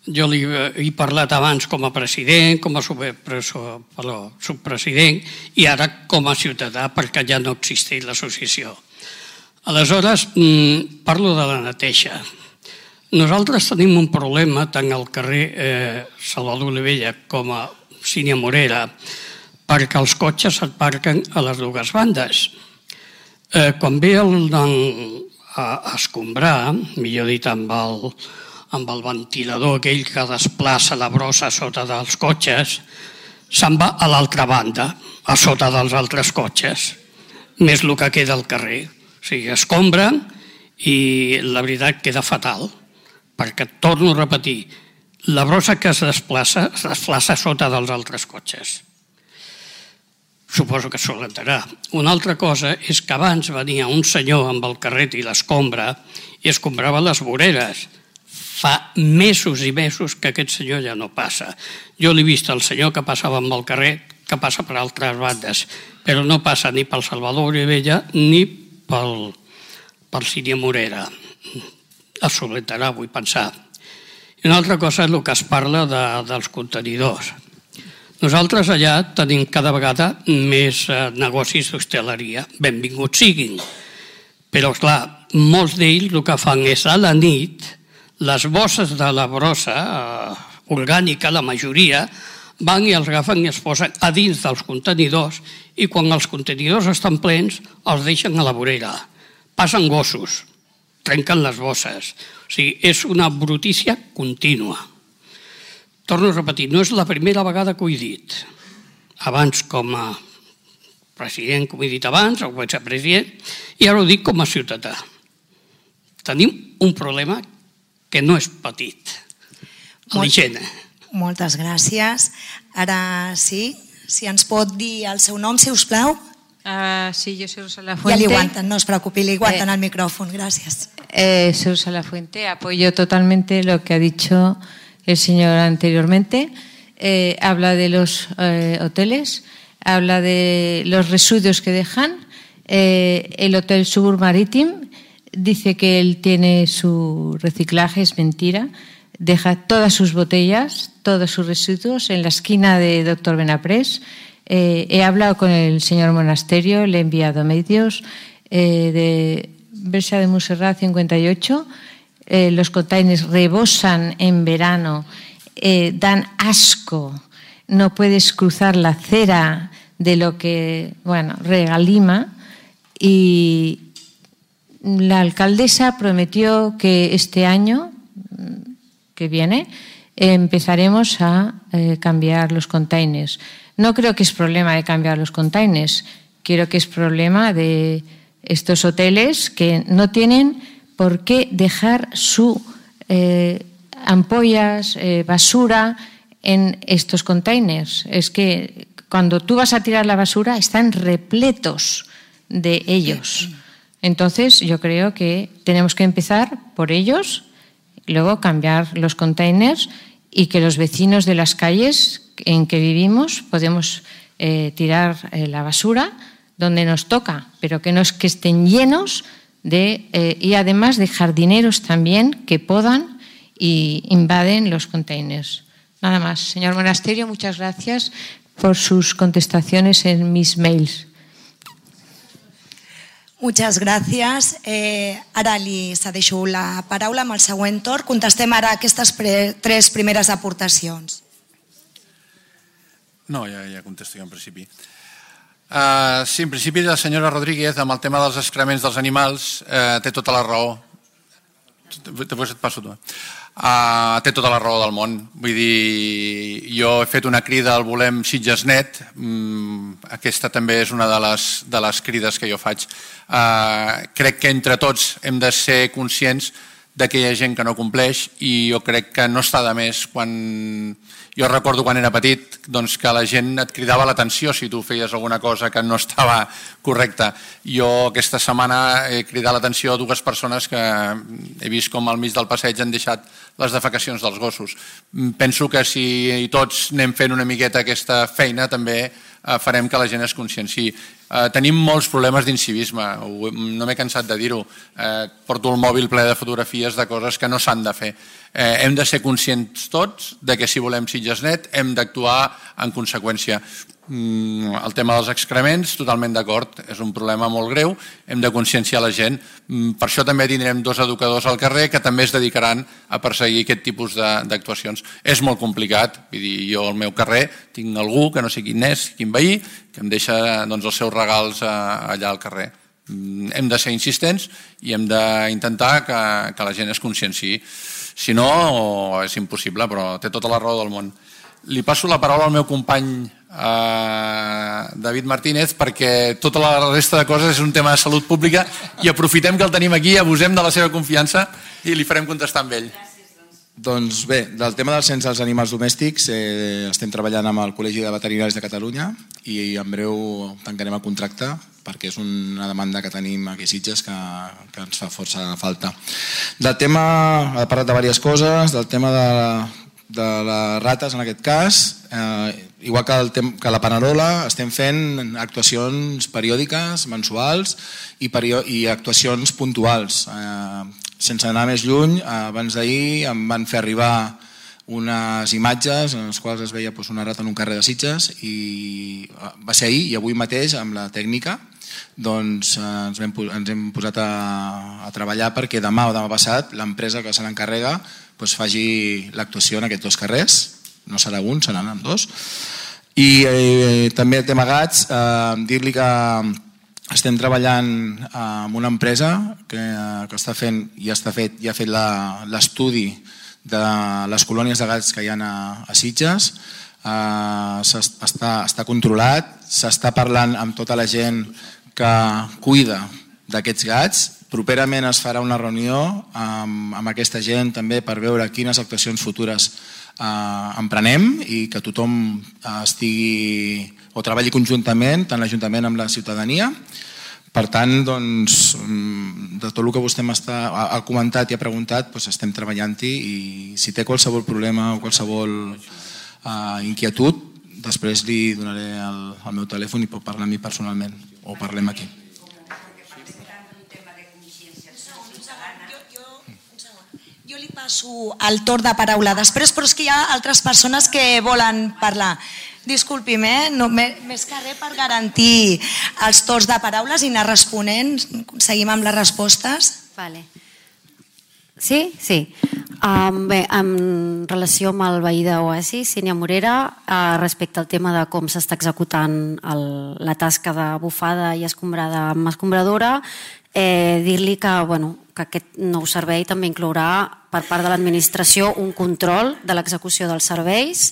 Jo li he parlat abans com a president, com a subpresident i ara com a ciutadà perquè ja no existeix l'associació. Aleshores, parlo de la neteja. Nosaltres tenim un problema tant al carrer Salvador Olivella com a Sínia Morera perquè els cotxes s'aparquen a les dues bandes. Quan ve el a escombrar, millor dit amb el, amb el ventilador aquell que desplaça la brossa sota dels cotxes, se'n va a l'altra banda, a sota dels altres cotxes, més el que queda al carrer. O sigui, escombra i la veritat queda fatal, perquè, torno a repetir, la brossa que es desplaça, es desplaça sota dels altres cotxes. Suposo que s'ho entenrà. Una altra cosa és que abans venia un senyor amb el carret i l'escombra i escombrava les voreres. Fa mesos i mesos que aquest senyor ja no passa. Jo l'he vist el senyor que passava amb el carret, que passa per altres bandes, però no passa ni pel Salvador Olivella ni pel, pel Sínia Morera. Es solentarà, vull pensar. I una altra cosa és el que es parla de, dels contenidors. Nosaltres allà tenim cada vegada més negocis d'hostaleria. Benvinguts siguin. Però, clar, molts d'ells el que fan és a la nit, les bosses de la brossa orgànica, la majoria, van i els agafen i es posen a dins dels contenidors i quan els contenidors estan plens els deixen a la vorera. Passen gossos, trenquen les bosses. O sigui, és una brutícia contínua. Torno a repetir, no és la primera vegada que ho he dit. Abans com a president, com he dit abans, o vicepresident, i ara ho dic com a ciutadà. Tenim un problema que no és petit. L'higiene. Moltes gràcies. Ara sí, si ens pot dir el seu nom, si us plau. Uh, sí, yo soy Rosa La Fuente. Ya le aguantan, no os preocupe, le aguantan eh, al micrófono. Gracias. Eh, soy Rosa La Fuente, apoyo totalmente lo que ha dicho el señor anteriormente. Eh, habla de los eh, hoteles, habla de los residuos que dejan. Eh, el Hotel Subur Marítim dice que él tiene su reciclaje, es mentira. Deja todas sus botellas, todos sus residuos en la esquina de Doctor Benaprés. Eh, he hablado con el señor Monasterio, le he enviado medios eh, de Versa de Montserrat cincuenta y ocho. Eh, los containers rebosan en verano, eh, dan asco, no puedes cruzar la acera de lo que, bueno, regalima. Y la alcaldesa prometió que este año que viene empezaremos a eh, cambiar los containers. No creo que es problema de cambiar los containers, creo que es problema de estos hoteles que no tienen ¿por qué dejar su eh, ampollas, eh, basura en estos containers? Es que cuando tú vas a tirar la basura están repletos de ellos. Entonces yo creo que tenemos que empezar por ellos, luego cambiar los containers y que los vecinos de las calles en que vivimos podemos eh, tirar eh, la basura donde nos toca, pero que no es que estén llenos de, eh, y además de jardineros también que podan y invaden los containers. Nada más. Señor Monasterio, muchas gracias por sus contestaciones en mis mails. Muchas gràcies. Eh, ara li cedeixo la paraula amb el següent torn. Contestem ara aquestes pre tres primeres aportacions. No, ja, ja contesto jo en principi. Uh, sí, en principi la senyora Rodríguez, amb el tema dels excrements dels animals, uh, té tota la raó. Després et passo tu. Uh, té tota la raó del món. Vull dir, jo he fet una crida al Volem Sitges Net. Mm, aquesta també és una de les, de les crides que jo faig. Uh, crec que entre tots hem de ser conscients de que hi ha gent que no compleix i jo crec que no està de més quan... Jo recordo quan era petit doncs, que la gent et cridava l'atenció si tu feies alguna cosa que no estava correcta. Jo aquesta setmana he cridat l'atenció a dues persones que he vist com al mig del passeig han deixat les defecacions dels gossos. Penso que si tots anem fent una miqueta aquesta feina també farem que la gent es conscienciï. Eh, tenim molts problemes d'incivisme, no m'he cansat de dir-ho. Eh, porto el mòbil ple de fotografies de coses que no s'han de fer. Eh, hem de ser conscients tots de que si volem Sitges Net hem d'actuar en conseqüència. Mm, el tema dels excrements, totalment d'acord, és un problema molt greu, hem de conscienciar la gent. Mm, per això també tindrem dos educadors al carrer que també es dedicaran a perseguir aquest tipus d'actuacions. És molt complicat, vull dir, jo al meu carrer tinc algú que no sé quin és, quin veí, que em deixa doncs, els seus regals allà al carrer. Mm, hem de ser insistents i hem d'intentar que, que la gent es conscienciï. Si no, és impossible, però té tota la raó del món. Li passo la paraula al meu company eh, David Martínez perquè tota la resta de coses és un tema de salut pública i aprofitem que el tenim aquí, abusem de la seva confiança i li farem contestar amb ell. Doncs bé, del tema del cens dels animals domèstics eh, estem treballant amb el Col·legi de Veterinaris de Catalunya i en breu tancarem el contracte perquè és una demanda que tenim aquí a Sitges que, que ens fa força falta. Del tema, ha parlat de diverses coses, del tema de, de les rates en aquest cas, eh, igual que, el tem, que la Panerola estem fent actuacions periòdiques, mensuals i, perio, i actuacions puntuals. Eh, sense anar més lluny, abans d'ahir em van fer arribar unes imatges en les quals es veia doncs, una rata en un carrer de Sitges i va ser ahir i avui mateix amb la tècnica doncs, ens, hem, ens hem posat a, a treballar perquè demà o demà passat l'empresa que se n'encarrega doncs, faci l'actuació en aquests dos carrers, no serà un, seran amb dos. I eh, també el tema gats, eh, dir-li que estem treballant amb una empresa que, que està fent i està fet, ja ha fet l'estudi de les colònies de gats que hi ha a, a Sitges. Uh, està, està controlat, s'està parlant amb tota la gent que cuida d'aquests gats. Properament es farà una reunió amb, amb aquesta gent també per veure quines actuacions futures uh, emprenem i que tothom uh, estigui o treballi conjuntament, tant l'Ajuntament amb la ciutadania. Per tant, doncs, de tot el que vostè ha comentat i ha preguntat, doncs estem treballant-hi i si té qualsevol problema o qualsevol uh, inquietud, després li donaré el, el meu telèfon i pot parlar amb mi personalment o parlem aquí. Jo li passo el torn de paraula després, però és que hi ha altres persones que volen parlar. Disculpi'm, eh? no, més que res per garantir els torns de paraules i anar responent. Seguim amb les respostes. Vale. Sí? Sí. Um, bé, en relació amb el veí d'Oasi, Sínia Morera, uh, respecte al tema de com s'està executant el, la tasca de bufada i escombrada amb escombradora, eh, dir-li que, bueno, que aquest nou servei també inclourà per part de l'administració un control de l'execució dels serveis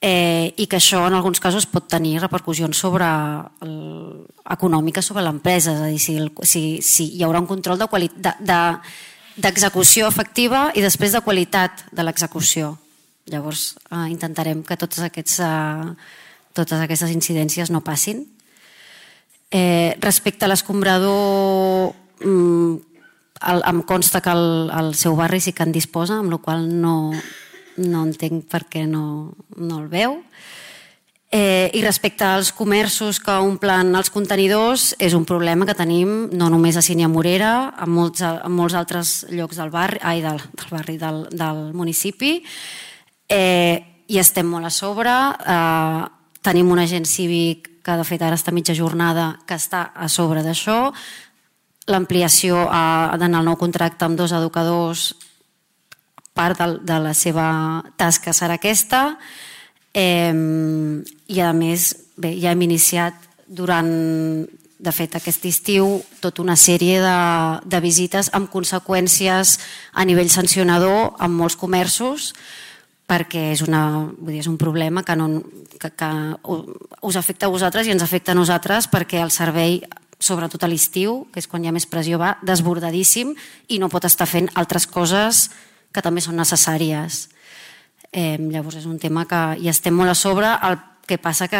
i que això en alguns casos pot tenir repercussions sobre econòmiques sobre l'empresa, és a dir, si hi haurà un control d'execució efectiva i després de qualitat de l'execució. Llavors intentarem que totes aquestes incidències no passin. Respecte a l'escombrador, em consta que al seu barri sí que en disposa, amb la qual cosa no entenc per què no el veu. I respecte als comerços que omplen els contenidors, és un problema que tenim no només a Sínia Morera, en molts altres llocs del barri, del municipi, i estem molt a sobre. Tenim un agent cívic que de fet ara està mitja jornada que està a sobre d'això. L'ampliació en el nou contracte amb dos educadors, part de la seva tasca serà aquesta, i a més ja hem iniciat durant, de fet aquest estiu, tota una sèrie de visites amb conseqüències a nivell sancionador en molts comerços, perquè és un problema que us afecta a vosaltres i ens afecta a nosaltres, perquè el servei, sobretot a l'estiu, que és quan hi ha més pressió, va desbordadíssim i no pot estar fent altres coses que també són necessàries. Llavors és un tema que hi estem molt a sobre, el que passa que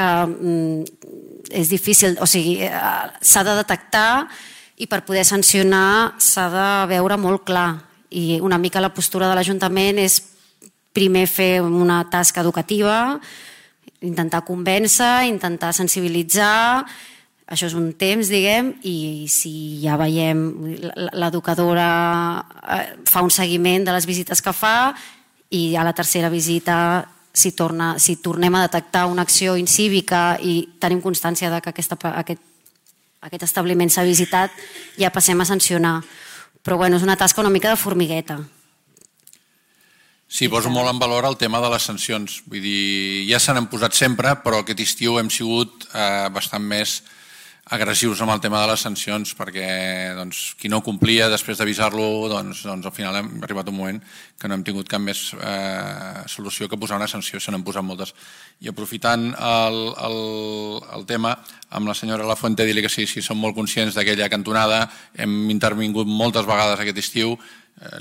és difícil, o sigui, s'ha de detectar i per poder sancionar s'ha de veure molt clar, i una mica la postura de l'Ajuntament és primer fer una tasca educativa, intentar convèncer, intentar sensibilitzar. Això és un temps, diguem, i si ja veiem, l'educadora fa un seguiment de les visites que fa i a la tercera visita, si tornem a detectar una acció incívica i tenim constància que aquest establiment s'ha visitat, ja passem a sancionar. Però bueno, és una tasca una mica de formigueta. Sí, poso molt en valor el tema de les sancions. Vull dir, ja se n'han posat sempre, però aquest estiu hem sigut bastant més agressius amb el tema de les sancions, perquè qui no complia després d'avisar-lo, doncs al final hem arribat un moment que no hem tingut cap més solució que posar una sanció, se n'han posat moltes. I aprofitant el tema, amb la senyora Lafuente, dir-li que sí, sí, som molt conscients d'aquella cantonada, hem intervingut moltes vegades aquest estiu,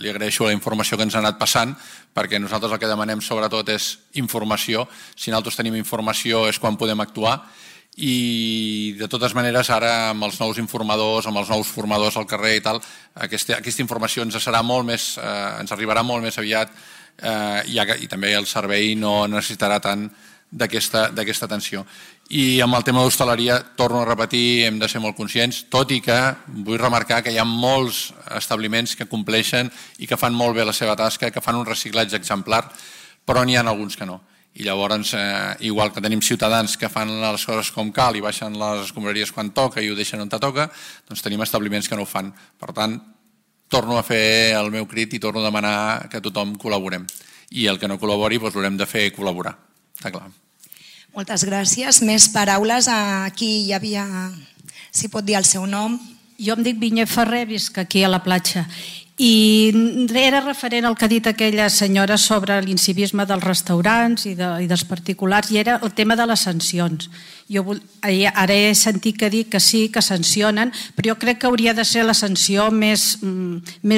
li agraeixo la informació que ens ha anat passant, perquè nosaltres el que demanem sobretot és informació. Si nosaltres tenim informació és quan podem actuar, i de totes maneres ara amb els nous informadors, amb els nous formadors al carrer i tal, aquesta informació ens serà molt més, ens arribarà molt més aviat i també el servei no necessitarà tant d'aquesta atenció. I amb el tema d'hostaleria, torno a repetir, hem de ser molt conscients, tot i que vull remarcar que hi ha molts establiments que compleixen i que fan molt bé la seva tasca, que fan un reciclatge exemplar, però n'hi ha alguns que no. I llavors, igual que tenim ciutadans que fan les coses com cal i baixen les escombraries quan toca i ho deixen on toca, doncs tenim establiments que no ho fan. Per tant, torno a fer el meu crit i torno a demanar que tothom col·laborem. I el que no col·labori, doncs l'haurem de fer col·laborar. Està clar. Moltes gràcies. Més paraules. Aquí hi havia, si pot dir el seu nom. Jo em dic Vinyet Ferrer, visc aquí a la platja. I era referent al que ha dit aquella senyora sobre l'incivisme dels restaurants i dels particulars, i era el tema de les sancions. Ara he sentit que dir que sí, que sancionen, però jo crec que hauria de ser la sanció més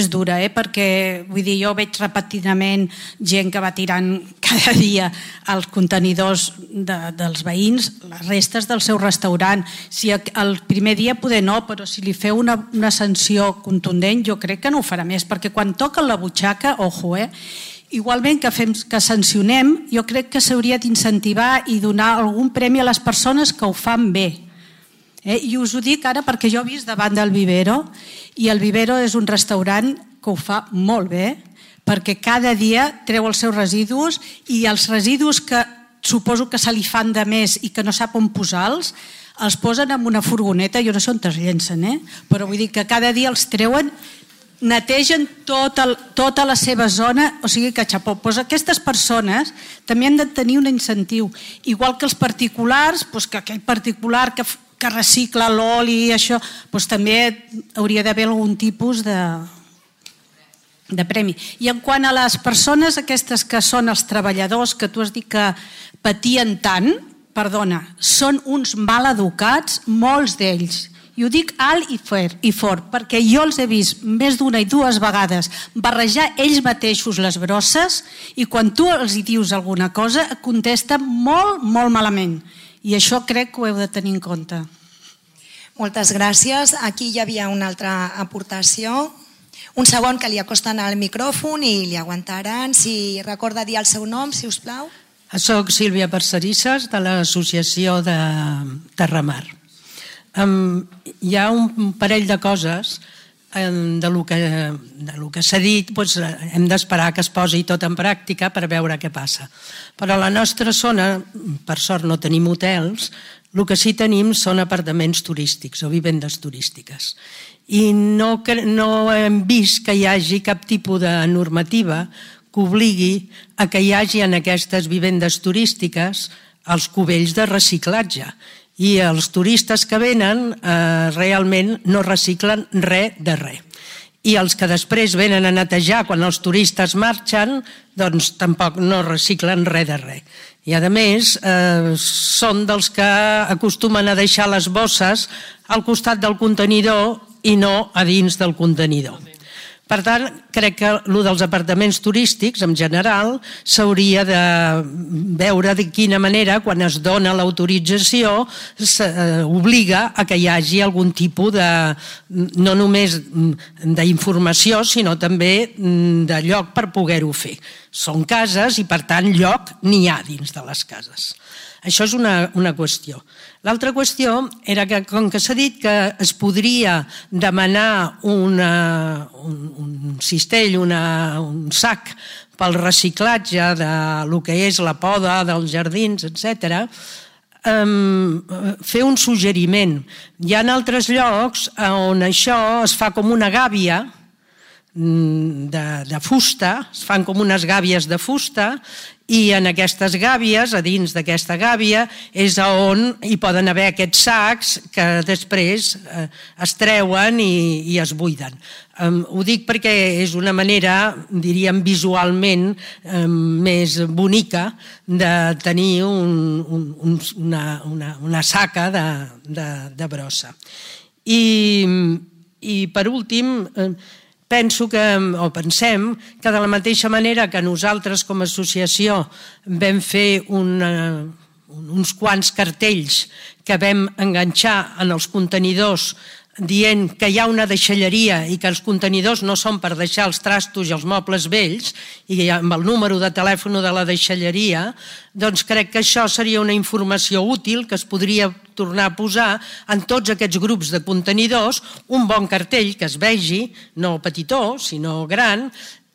dura, perquè jo veig repetidament gent que va tirant cada dia als contenidors dels veïns, les restes del seu restaurant. Si el primer dia poder no, però si li feu una sanció contundent, jo crec que no ho farà més, perquè quan toca la butxaca, ojo, eh? Igualment que sancionem, jo crec que s'hauria d'incentivar i donar algun premi a les persones que ho fan bé. I us ho dic ara perquè jo he vist davant del Vivero, i el Vivero és un restaurant que ho fa molt bé, perquè cada dia treu els seus residus, i els residus que suposo que se li fan de més i que no sap on posar-los, els posen en una furgoneta, jo no sé on es llencen, però vull dir que cada dia els treuen, netegen tota la seva zona, o sigui que xapó. Aquestes persones també han de tenir un incentiu, igual que els particulars, que aquell particular que recicla l'oli i això, també hauria d'haver algun tipus de de premi. I en quant a les persones aquestes que són els treballadors, que tu has dit que patien tant, perdona, són uns mal educats, molts d'ells. I ho dic alt i fort, perquè jo els he vist més d'una i dues vegades barrejar ells mateixos les brosses i quan tu els hi dius alguna cosa et contesten molt, molt malament. I això crec que ho heu de tenir en compte. Moltes gràcies. Aquí hi havia una altra aportació. Un segon que li acosten al micròfon i li aguantaran. Si recorda dir el seu nom, si us plau. Soc Sílvia Parcerisses, de l'associació de Terramar. Um, hi ha un parell de coses um, de lo que, de lo que s'ha dit, doncs, hem d'esperar que es posi tot en pràctica per veure què passa. Però a la nostra zona, per sort no tenim hotels, el que sí tenim són apartaments turístics o vivendes turístiques. I no, no hem vist que hi hagi cap tipus de normativa que obligui a que hi hagi en aquestes vivendes turístiques els cubells de reciclatge. I els turistes que venen eh, realment no reciclen res de res. I els que després venen a netejar quan els turistes marxen, doncs tampoc no reciclen res de res. I a més, eh, són dels que acostumen a deixar les bosses al costat del contenidor i no a dins del contenidor. Per tant, crec que el dels apartaments turístics, en general, s'hauria de veure de quina manera, quan es dona l'autorització, s'obliga a que hi hagi algun tipus de, no només d'informació, sinó també de lloc per poder-ho fer. Són cases i, per tant, lloc n'hi ha dins de les cases. Això és una, una qüestió. L'altra qüestió era que, com que s'ha dit que es podria demanar una, un, un cistell, una, un sac pel reciclatge de lo que és la poda dels jardins, etcètera, um, fer un suggeriment. Hi ha altres llocs on això es fa com una gàbia de, de fusta, es fan com unes gàbies de fusta, i en aquestes gàbies, a dins d'aquesta gàbia, és on hi poden haver aquests sacs que després eh, es treuen i, i es buiden. Um, ho dic perquè és una manera, diríem visualment, um, més bonica de tenir un, un, un, una, una, una saca de, de, de brossa. I, i per últim, eh, penso que, o pensem que de la mateixa manera que nosaltres com a associació vam fer una, uns quants cartells que vam enganxar en els contenidors dient que hi ha una deixalleria i que els contenidors no són per deixar els trastos i els mobles vells i amb el número de telèfon de la deixalleria, doncs crec que això seria una informació útil que es podria tornar a posar en tots aquests grups de contenidors, un bon cartell que es vegi, no petitó, sinó gran,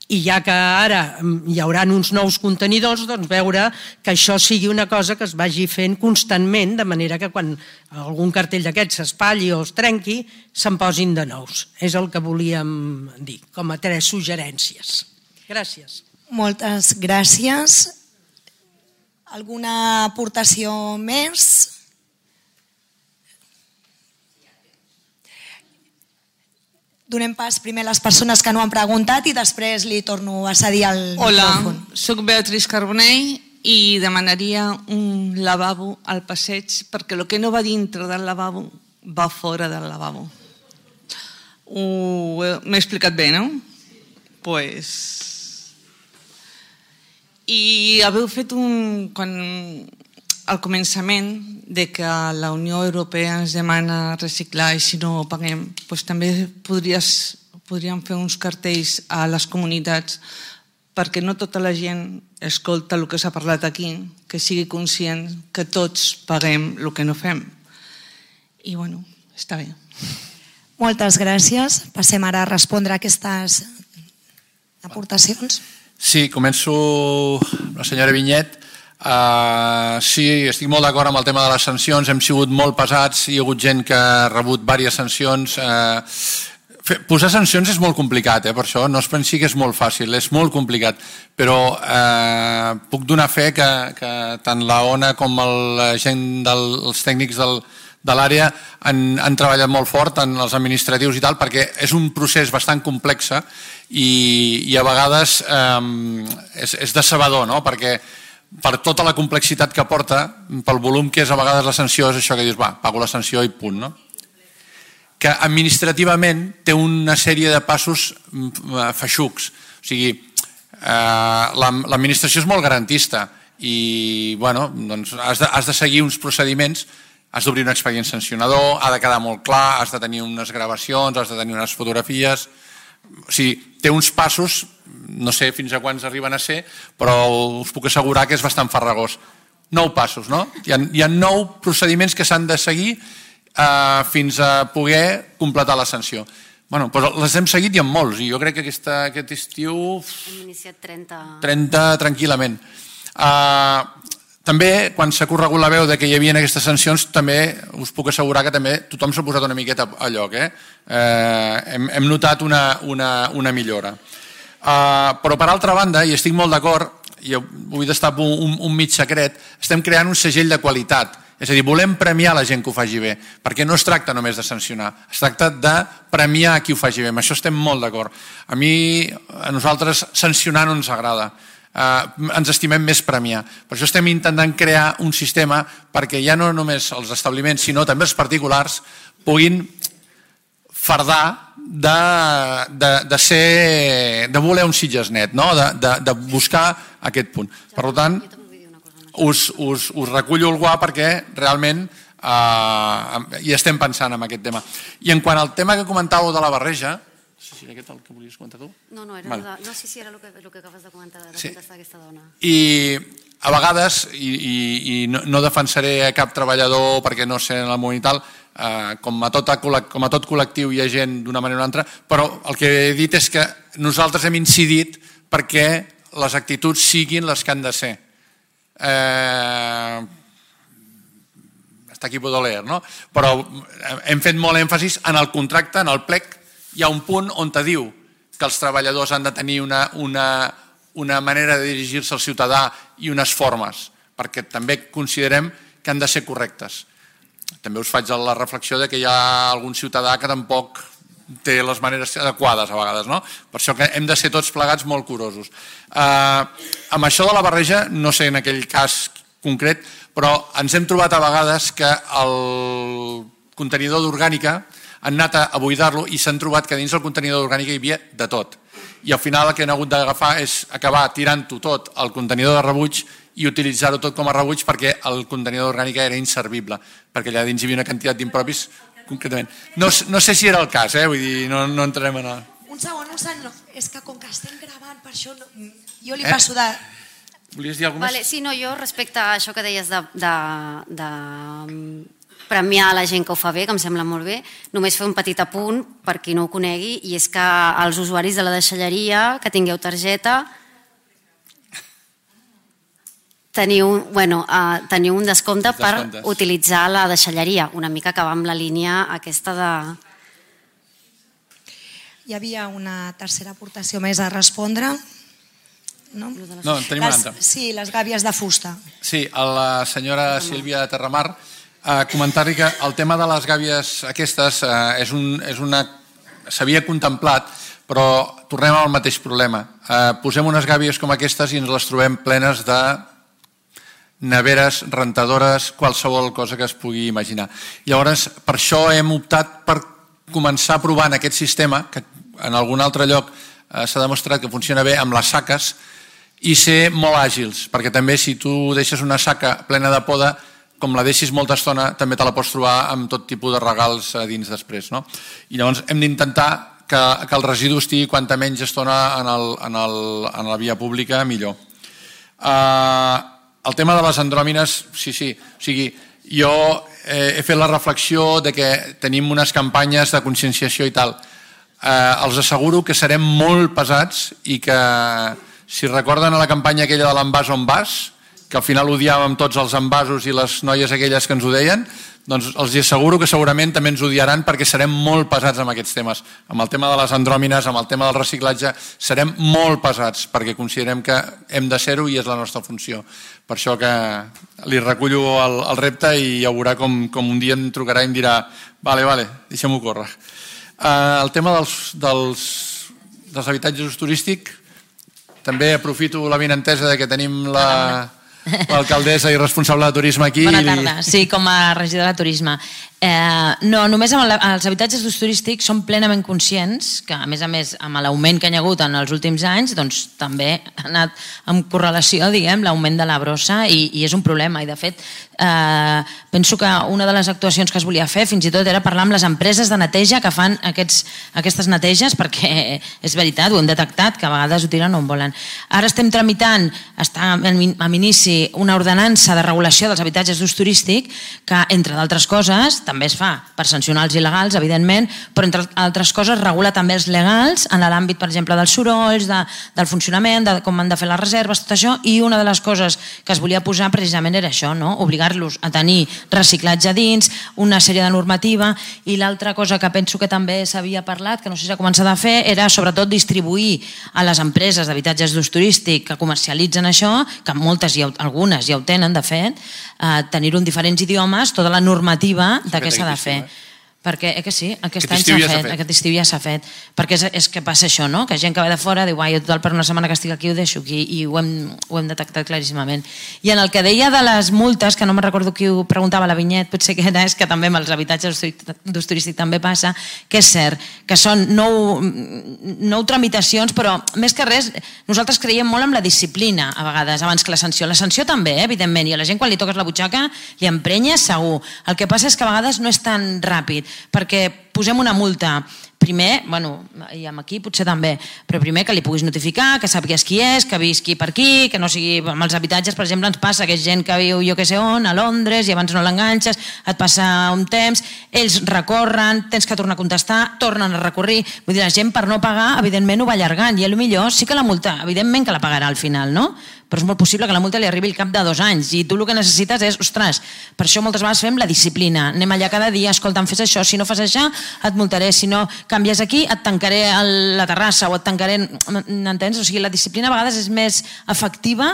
i ja que ara hi haurà uns nous contenidors, doncs veure que això sigui una cosa que es vagi fent constantment, de manera que quan algun cartell d'aquests s'espatlli o es trenqui, se'n posin de nous. És el que volíem dir, com a tres suggerències. Gràcies. Moltes gràcies. Alguna aportació més? Donem pas primer a les persones que no han preguntat i després li torno a cedir el micròfon. Hola, soc Beatriz Carbonell i demanaria un lavabo al passeig perquè el que no va dintre del lavabo va fora del lavabo. M'he explicat bé, no? Doncs... Pues... I haveu fet un... Quan... al començament de que la Unió Europea ens demana reciclar i si no ho paguem, doncs també podries, podríem fer uns cartells a les comunitats perquè no tota la gent escolta el que s'ha parlat aquí, que sigui conscient que tots paguem el que no fem. I bueno, està bé. Moltes gràcies. Passem ara a respondre a aquestes aportacions. Sí, començo la senyora Vinyet. Uh, sí, estic molt d'acord amb el tema de les sancions, hem sigut molt pesats, hi ha hagut gent que ha rebut diverses sancions. Uh, fer, posar sancions és molt complicat, eh, per això no es pensi que és molt fàcil, és molt complicat, però uh, puc donar fe que, que tant la O N A com el, la gent dels tècnics del, de l'àrea han, han treballat molt fort en els administratius i tal, perquè és un procés bastant complex i, i a vegades eh, és, és decebedor, no? Perquè per tota la complexitat que porta, pel volum que és a vegades la sanció, és això que dius, va, pago la sanció i punt, no? Que administrativament té una sèrie de passos feixucs. O sigui, eh, l'administració és molt garantista i, bueno, doncs has de, has de seguir uns procediments, has d'obrir un expedient sancionador, ha de quedar molt clar, has de tenir unes gravacions, has de tenir unes fotografies. O sigui, té uns passos, no sé fins a quants arriben a ser, però us puc assegurar que és bastant farragós. Nou passos, no? Hi ha, hi ha nou procediments que s'han de seguir Uh, fins a poder completar la sanció. Bueno, doncs les hem seguit i en molts, i jo crec que aquesta, aquest estiu... Hem iniciat trenta... trenta tranquil·lament. Uh, també, quan s'ha corregut la veu de que hi havia aquestes sancions, també us puc assegurar que també tothom s'ha posat una miqueta a lloc. Eh? Uh, hem, hem notat una, una, una millora. Uh, però, per altra banda, i estic molt d'acord, i vull destapar un, un mig secret, estem creant un segell de qualitat. És a dir, volem premiar la gent que ho faci bé, perquè no es tracta només de sancionar, es tracta de premiar a qui ho faci bé. Amb això estem molt d'acord. A mi, a nosaltres, sancionar no ens agrada. Uh, ens estimem més premiar. Per això estem intentant crear un sistema perquè ja no només els establiments, sinó també els particulars puguin fardar de, de, de ser, de voler un Sitges net, no? de, de, de buscar aquest punt. Per tant, Us, us, us recullo el guà perquè realment eh, hi estem pensant en aquest tema. I en quant al tema que comentàveu de la barreja, si era aquest el que volies comentar tu? No, no, era vale. de, no sí, sí, era el que, el que acabes de comentar, de sí. contestar aquesta dona. I a vegades, i, i, i no, no defensaré a cap treballador perquè no sé en el món i tal, eh, com, a tot, com a tot col·lectiu hi ha gent d'una manera o una altra, però el que he dit és que nosaltres hem incidit perquè les actituds siguin les que han de ser. Eh, està aquí puedo leer, no? Però hem fet molt èmfasis en el contracte, en el plec, hi ha un punt on te diu que els treballadors han de tenir una, una, una manera de dirigir-se al ciutadà i unes formes, perquè també considerem que han de ser correctes. També us faig la reflexió de que hi ha algun ciutadà que tampoc té les maneres adequades a vegades, no? Per això que hem de ser tots plegats molt curosos. Eh, amb això de la barreja, no sé en aquell cas concret, però ens hem trobat a vegades que el contenidor d'orgànica han anat a buidar-lo i s'han trobat que dins del contenidor d'orgànica hi havia de tot. I al final el que han hagut d'agafar és acabar tirant-ho tot al contenidor de rebuig i utilitzar-ho tot com a rebuig perquè el contenidor d'orgànica era inservible, perquè allà dins hi havia una quantitat d'impropis concretament. No, no sé si era el cas, eh? Vull dir, no, no entrarem en... Un segon, un segon, no. És que com que estem gravant, per això no... jo li eh? passo de... Volies dir alguna cosa? Vale, sí, no, jo respecte a això que deies de, de, de premiar la gent que ho fa bé, que em sembla molt bé, només fer un petit apunt per qui no ho conegui, i és que els usuaris de la deixalleria que tingueu targeta teniu, bueno, uh, teniu un descompte per utilitzar la deixalleria, una mica que va amb la línia aquesta de... Hi havia una tercera aportació més a respondre. No, no en tenim les, una altra. Sí, les gàbies de fusta. Sí, a la senyora Sílvia de Terramar, eh, comentar-li que el tema de les gàbies aquestes eh, és, un, és una... s'havia contemplat, però tornem al mateix problema. Eh, posem unes gàbies com aquestes i ens les trobem plenes de neveres, rentadores, qualsevol cosa que es pugui imaginar. Llavors, per això hem optat per començar provant aquest sistema, que en algun altre lloc eh, s'ha demostrat que funciona bé amb les saques, i ser molt àgils, perquè també si tu deixes una saca plena de poda, com la deixis molta estona, també te la pots trobar amb tot tipus de regals a dins després. No? I llavors hem d'intentar que, que el residu estigui quanta menys estona en, el, en, el, en la via pública, millor. Uh, el tema de les andròmines, sí, sí, o sigui, jo eh, he fet la reflexió de que tenim unes campanyes de conscienciació i tal. Eh, els asseguro que serem molt pesats i que, si recorden a la campanya aquella de l'envàs on vas, que al final odiàvem tots els envasos i les noies aquelles que ens ho deien, doncs els asseguro que segurament també ens odiaran perquè serem molt pesats amb aquests temes. Amb el tema de les andròmines, amb el tema del reciclatge, serem molt pesats perquè considerem que hem de ser-ho i és la nostra funció. Per això que li recullo el, el repte i ja veurà com, com un dia em trucarà i em dirà vale, vale, deixem-ho córrer. Uh, el tema dels, dels, dels habitatges d'ús turístic, també aprofito la benentesa de que tenim la... l'alcaldessa i responsable de turisme aquí. Bona tarda, sí, com a regidora de turisme. Eh, no, només amb els habitatges d'ús turístic som plenament conscients que, a més a més, amb l'augment que hi ha hagut en els últims anys, doncs també ha anat amb correlació, diguem, l'augment de la brossa i, i és un problema. I, de fet, eh, penso que una de les actuacions que es volia fer fins i tot era parlar amb les empreses de neteja que fan aquests, aquestes neteges, perquè és veritat, ho hem detectat, que a vegades ho tiren on volen. Ara estem tramitant, està en inici, una ordenança de regulació dels habitatges d'ús turístic que, entre d'altres coses, també es fa per sancionar els il·legals, evidentment, però entre altres coses regula també els legals en l'àmbit, per exemple, dels sorolls, de, del funcionament, de com han de fer les reserves, tot això, i una de les coses que es volia posar precisament era això, no? Obligar-los a tenir reciclatge dins, una sèrie de normativa, i l'altra cosa que penso que també s'havia parlat, que no sé si s'ha començat a fer, era sobretot distribuir a les empreses d'habitatges d'ús turístic que comercialitzen això, que moltes, ja, algunes ja ho tenen, de fet, eh, tenir-ho en diferents idiomes, tota la normativa de què s'ha de fer. Perquè, eh que sí, aquest any s'ha fet, aquest estiu ja s'ha fet. Perquè és, és que passa això, no? Que gent que ve de fora diu, jo total per una setmana que estic aquí ho deixo aquí, i ho hem, ho hem detectat claríssimament. I en el que deia de les multes, que no me'n recordo qui ho preguntava, la Vinyet, potser que era, és que també amb els habitatges d'ús turístic també passa, que és cert, que són nou, nou tramitacions, però més que res, nosaltres creiem molt en la disciplina, a vegades, abans que la sanció. La sanció també, eh, evidentment, i a la gent quan li toques la butxaca li emprenya segur. El que passa és que a vegades no és tan ràpid, perquè posem una multa, primer, bueno, i amb aquí potser també, però primer que li puguis notificar, que sàpigues qui és, que visqui per aquí, que no sigui amb els habitatges, per exemple, ens passa que és gent que viu jo que sé on, a Londres, i abans no l'enganxes, et passa un temps, ells recorren, tens que tornar a contestar, tornen a recorrir, vull dir, la gent per no pagar, evidentment ho va allargant, i potser sí que la multa, evidentment que la pagarà al final, no? Però és molt possible que la multa li arribi al cap de dos anys i tu el que necessites és, ostres, per això moltes vegades fem la disciplina, anem allà cada dia, escolta, em fes això, si no fas això et multaré, si no canvies aquí et tancaré la terrassa o et tancaré, m'entens? O sigui, la disciplina a vegades és més efectiva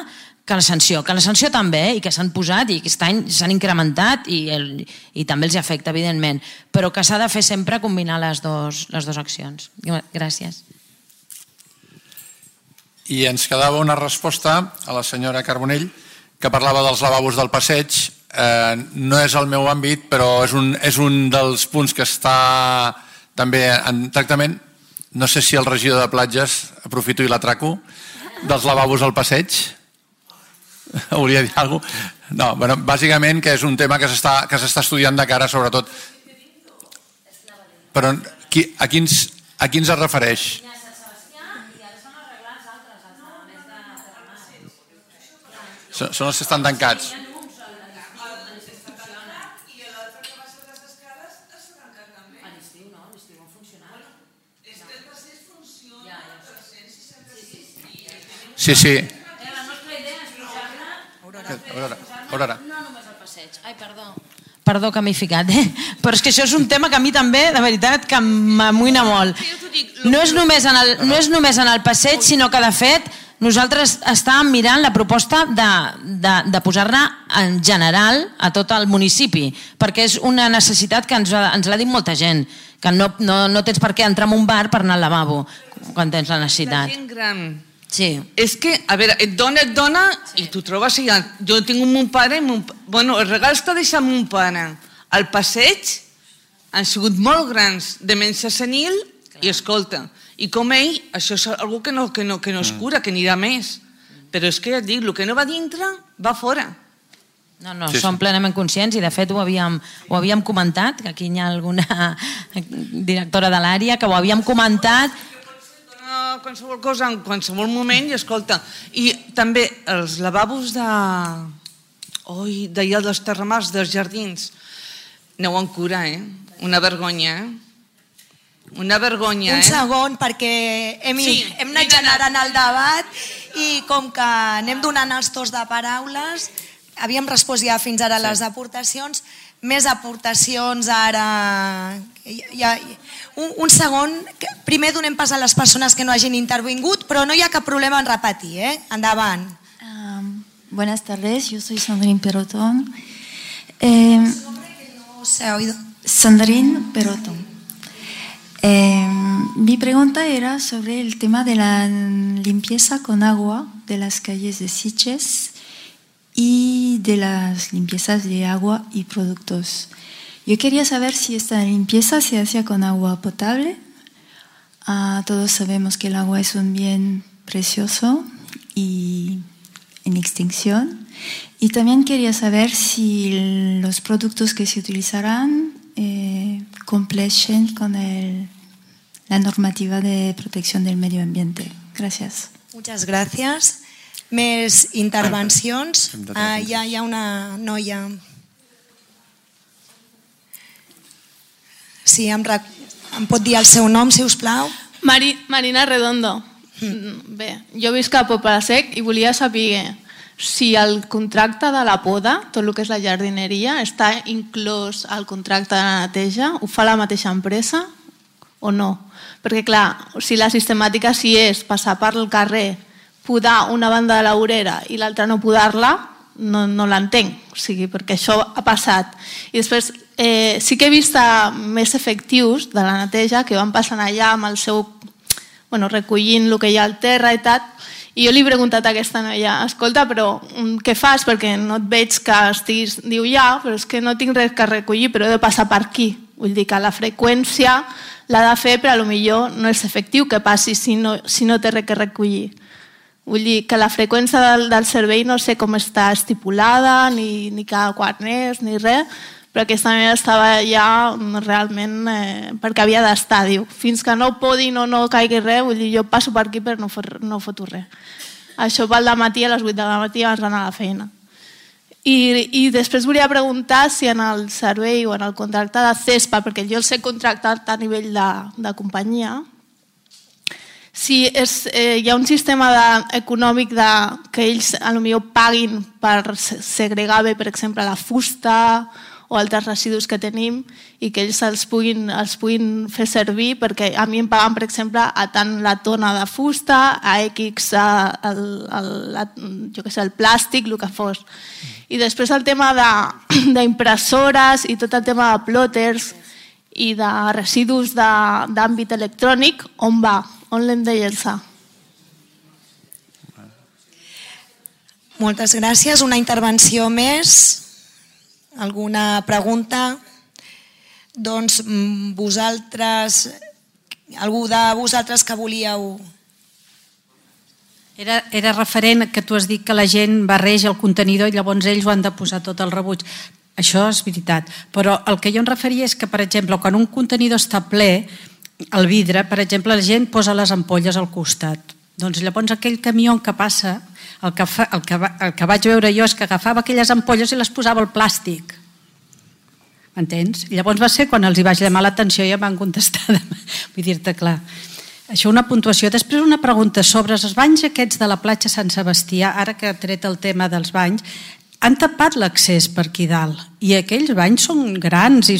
que la sanció, que la sanció també, i que s'han posat i aquest any s'han incrementat i, el, i també els afecta, evidentment, però que s'ha de fer sempre combinar les dues les dos accions. Gràcies. I ens quedava una resposta a la senyora Carbonell, que parlava dels lavabos del passeig. Eh, no és el meu àmbit, però és un, és un dels punts que està també en tractament. No sé si el regidor de platges, aprofito i l'atraco, dels lavabos al passeig. Hauria de dir alguna cosa? No, bueno, bàsicament que és un tema que s'està que s'està estudiant de cara, sobretot. Però qui, a, quins, a quins es refereix? Són els que estan tancats. Sí, sí. Aurora. No només el passeig. Ai, perdó. Perdó que m'he ficat, eh? Però és que això és un tema que a mi també, de veritat, que m'amoïna molt. No és només en el, no és només en el passeig, sinó que, de fet, nosaltres estàvem mirant la proposta de, de, de posar-ne en general a tot el municipi, perquè és una necessitat que ens, ens l'ha dit molta gent, que no, no, no tens per què entrar en un bar per anar al lavabo quan tens la necessitat. La gent gran. Sí. És que, a veure, et dona, et dona, i tu trobes allà. Jo tinc un mon pare, mon, bueno, els regals que ha deixat mon pare al passeig han sigut molt grans, de menys senil, i escolta, i com ell, això és algo que no, que no, que no es cura, que anirà més. Però és que ja et dic, el que no va dintre, va fora. No, no, sí, som sí. plenament conscients i de fet ho havíem, ho havíem comentat, que aquí hi ha alguna directora de l'àrea que ho havíem comentat. Qualsevol cosa en qualsevol moment i escolta, i també els lavabos de oi, d'allà dels terramars, dels jardins, aneu en cura, eh? Una vergonya, eh? Una vergonya, eh? Un segon, perquè hem, sí, hem anat generant el debat i com que anem donant els torns de paraules, havíem respost ja fins ara sí. les aportacions, més aportacions ara. Ja, un, un segon, primer donem pas a les persones que no hagin intervingut, però no hi ha cap problema en repetir, eh? Endavant. Um, buenas tardes, yo soy Sandrine Perotón. Eh, no se ha oído. Sandrine Perotón. Eh, mi pregunta era sobre el tema de la limpieza con agua de las calles de Sitges y de las limpiezas de agua y productos. Yo quería saber si esta limpieza se hacía con agua potable. Ah, todos sabemos que el agua es un bien precioso y en extinción. Y también quería saber si los productos que se utilizarán eh, completen con el, la normativa de protección del medio ambiente. Gracias. Muchas gracias. Més intervencions. Ah, hi, ha, hi ha una noia. Sí, em, rec... em pot dir el seu nom, si us plau? Mari, Marina Redondo. Mm. Bé, jo visc a Poble Sec i volia saber si el contracte de la poda, tot el que és la jardineria, està inclòs al contracte de neteja? Ho fa la mateixa empresa o no? Perquè, clar, si la sistemàtica sí és passar per el carrer, podar una banda de la vorera i l'altra no podar-la, no, no l'entenc, o sigui, perquè això ha passat. I després eh, sí que he vist més efectius de la neteja que van passant allà amb el seu, bueno, recollint el que hi ha al terra i tal, i jo li he preguntat a aquesta noia, escolta, però què fas? Perquè no et veig que estiguis... Diu, ja, però és que no tinc res que recollir, però he de passar per aquí. Vull dir que la freqüència l'ha de fer, però potser no és efectiu que passi si no, si no té res que recollir. Vull dir que la freqüència del, del servei no sé com està estipulada, ni, ni cada quan és, ni res, però aquesta noia estava ja realment eh, perquè havia d'estar, diu, fins que no podin o no caigui res, vull dir, jo passo per aquí però no, fot, no foto res. Això pel dematí a les vuit de la matí abans d'anar a la feina. I, I després volia preguntar si en el servei o en el contracte de CESPA, perquè jo el sé contractat a nivell de, de companyia, si és, eh, hi ha un sistema de, econòmic de, que ells potser paguin per segregar bé, per exemple, la fusta o altres residus que tenim i que ells els puguin, els puguin fer servir, perquè a mi em paguen, per exemple, a tant la tona de fusta, a X el, el, la, jo què sé, el plàstic, el que fos. I després el tema d'impressores i tot el tema de plòters i de residus d'àmbit electrònic, on va? On l'hem de llençar? Moltes gràcies. Una intervenció més? Alguna pregunta? Doncs vosaltres, algú de vosaltres que volíeu... Era, era referent que tu has dit que la gent barreja el contenidor i llavors ells ho han de posar tot al rebuig. Això és veritat. Però el que jo em referia és que, per exemple, quan un contenidor està ple, el vidre, per exemple, la gent posa les ampolles al costat. Doncs llavors aquell camió que passa, el que, fa, el, que va, el que vaig veure jo és que agafava aquelles ampolles i les posava al plàstic. M'entens? I llavors va ser quan els hi vaig llamar l'atenció i em van contestar. Vull dir-te clar. Això una puntuació. Després una pregunta sobre els banys aquests de la platja Sant Sebastià, ara que ha tret el tema dels banys, han tapat l'accés per aquí dalt i aquells banys són grans i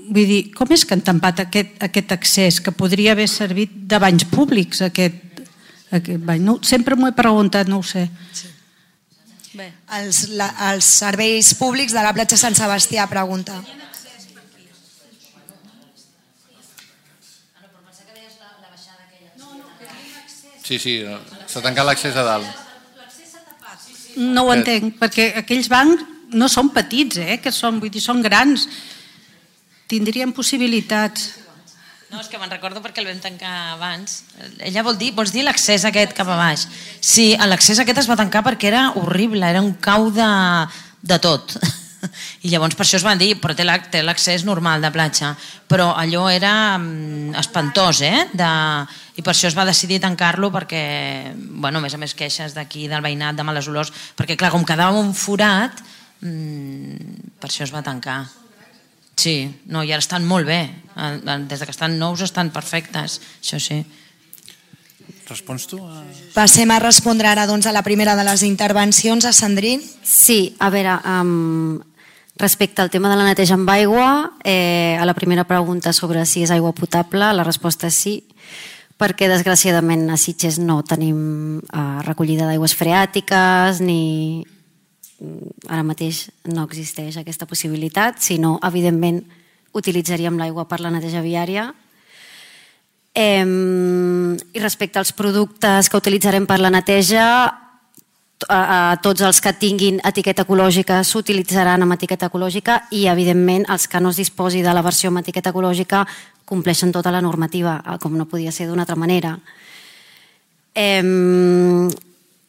vull dir, com és que han tampat aquest, aquest accés que podria haver servit de banys públics aquest, aquest bany? No, sempre m'ho he preguntat, no ho sé. Sí. Bé, els, la, els serveis públics de la platja Sant Sebastià, pregunta. Sí, sí, s'ha tancat l'accés a dalt. No ho entenc, perquè aquells bancs no són petits, eh? Que són, vull dir, són grans. Tindrien possibilitats. No, és que me'n recordo perquè el vam tancar abans. Ella vol dir, vols dir l'accés aquest cap a baix? Sí, l'accés aquest es va tancar perquè era horrible, era un cau de, de tot. I llavors per això es van dir, però té l'accés normal de platja. Però allò era espantós, eh? De... I per això es va decidir tancar-lo perquè, bueno, a més a més queixes d'aquí, del veïnat, de males olors, perquè clar, com quedava un forat, mmm, per això es va tancar. Sí, no, i ara estan molt bé. Des que estan nous estan perfectes, això sí. Respons tu? A... Passem a respondre ara doncs, a la primera de les intervencions, a Sandrine. Sí, a veure, um, Respecte al tema de la neteja amb aigua, eh, a la primera pregunta sobre si és aigua potable, la resposta és sí, perquè desgraciadament a Sitges no tenim eh, recollida d'aigües freàtiques, ni ara mateix no existeix aquesta possibilitat, sinó, evidentment, utilitzaríem l'aigua per la neteja viària. Eh, I respecte als productes que utilitzarem per la neteja, a tots els que tinguin etiqueta ecològica s'utilitzaran amb etiqueta ecològica i, evidentment, els que no es disposi de la versió amb etiqueta ecològica compleixen tota la normativa, com no podia ser d'una altra manera. Eh,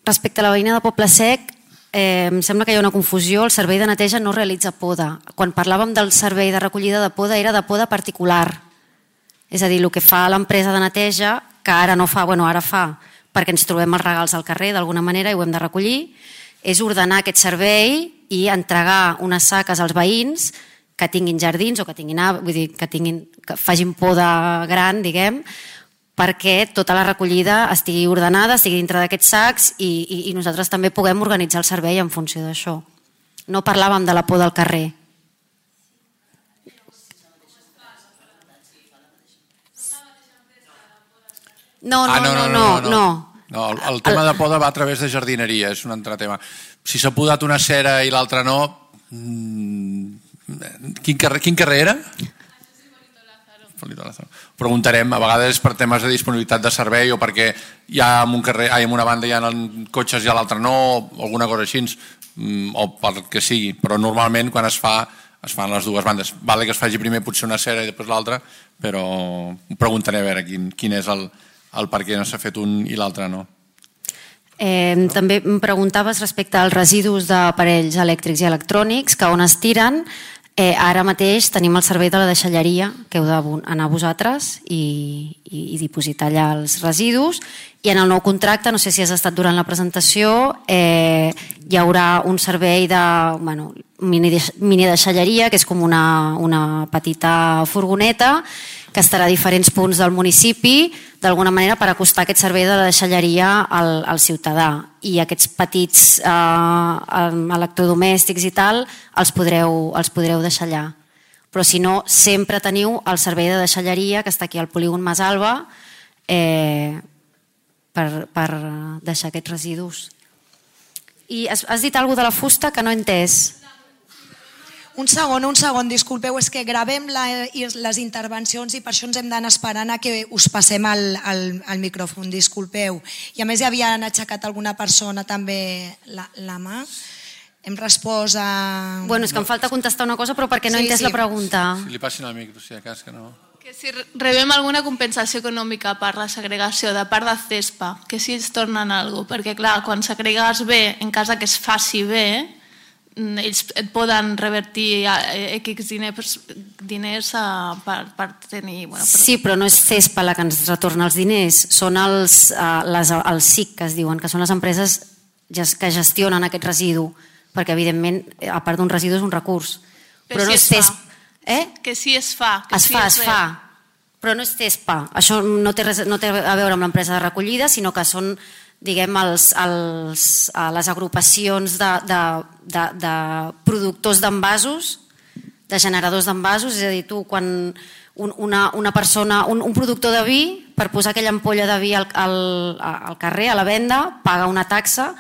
respecte a la veïna de Poble Sec, eh, em sembla que hi ha una confusió. El servei de neteja no realitza poda. Quan parlàvem del servei de recollida de poda era de poda particular. És a dir, el que fa l'empresa de neteja, que ara no fa, bueno, ara fa, perquè ens trobem els regals al carrer d'alguna manera i ho hem de recollir, és ordenar aquest servei i entregar unes saques als veïns que tinguin jardins o que tinguin, vull dir, que tinguin, que facin poda gran, diguem, perquè tota la recollida estigui ordenada, estigui dintre d'aquests sacs i, i, i nosaltres també puguem organitzar el servei en funció d'això. No parlàvem de la poda al carrer. No, no, no, no, no. no el, el tema de poda va a través de jardineria, és un altre tema. Si s'ha podat una cera i l'altra no... Quin carrer, quin carrer era? Preguntarem, a vegades per temes de disponibilitat de servei o perquè hi ha en un carrer, en una banda hi ha cotxes i a l'altra no, o alguna cosa així, o pel que sigui, però normalment quan es fa es fan les dues bandes. Vale que es faci primer potser una cera i després l'altra, però preguntaré a veure quin, quin és el el per què no s'ha fet un i l'altre no. Eh, també em preguntaves respecte als residus d'aparells elèctrics i electrònics, que on es tiren. Eh, ara mateix tenim el servei de la deixalleria, que heu d'anar vosaltres i, i, i dipositar allà els residus. I en el nou contracte, no sé si has estat durant la presentació, eh, hi haurà un servei de bueno, mini, mini deixalleria, que és com una, una petita furgoneta, que estarà a diferents punts del municipi, d'alguna manera per acostar aquest servei de la deixalleria al, al ciutadà. I aquests petits eh, electrodomèstics i tal els podreu, els podreu deixar allà. Però si no, sempre teniu el servei de deixalleria que està aquí al polígon Mas Alba eh, per, per deixar aquests residus. I has, has dit alguna cosa de la fusta que no he entès. Un segon, un segon, disculpeu, és que gravem la, les intervencions i per això ens hem d'anar esperant a que us passem el, el, el micròfon, disculpeu. I a més hi havien aixecat alguna persona també la, la mà. Hem respost a... Bueno, és que em falta contestar una cosa, però perquè no he Sí, entès sí. la pregunta. Si li passin el micro, si a cas que no... Que si rebem alguna compensació econòmica per la segregació de part de CESPA, que si ens tornen alguna cosa, perquè clar, quan segregues bé, en cas que es faci bé, ells et poden revertir X diners, diners per, per tenir... Bueno, per... Sí, però no és CESPA la que ens retorna els diners, són els, uh, les, els S I C, que es diuen, que són les empreses que gestionen aquest residu, perquè evidentment, a part d'un residu és un recurs. Però, però si no és CESPA. Eh? Que sí es fa. Que es sí fa, es, es fa, però no és CESPA. Això no té, res, no té a veure amb l'empresa de recollida, sinó que són, diguem, els, els, les agrupacions de, de, de, de productors d'envasos, de generadors d'envasos, és a dir, tu quan un, una, una persona, un, un productor de vi, per posar aquella ampolla de vi al, al, al carrer, a la venda, paga una taxa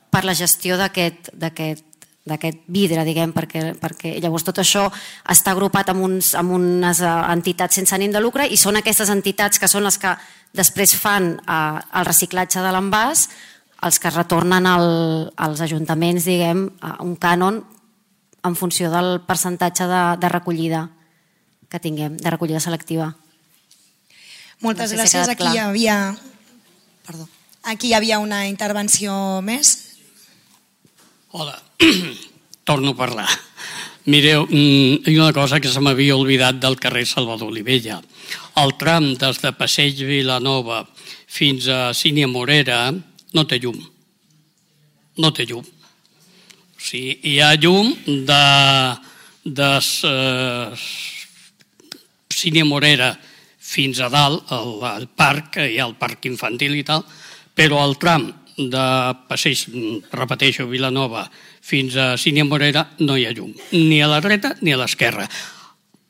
per la gestió d'aquest d'aquest d'aquest vidre, diguem, perquè, perquè llavors tot això està agrupat amb, uns, amb unes entitats sense ànim de lucre i són aquestes entitats que són les que després fan eh, el reciclatge de l'envàs, els que retornen al, als ajuntaments, diguem, un cànon en funció del percentatge de, de recollida que tinguem, de recollida selectiva. Moltes no sé gràcies. Si aquí hi havia... Perdó. Aquí hi havia una intervenció més. Hola, torno a parlar. Mireu, hi ha una cosa que se m'havia oblidat del carrer Salvador Olivella. El tram des de Passeig Vilanova fins a Sínia Morera no té llum. No té llum. O sigui, hi ha llum de, de uh, Sínia Morera fins a dalt, al, al parc, hi ha el parc infantil i tal, però el tram de Passeig, repeteixo, Vilanova, fins a Sínia Morera no hi ha llum, ni a la dreta ni a l'esquerra.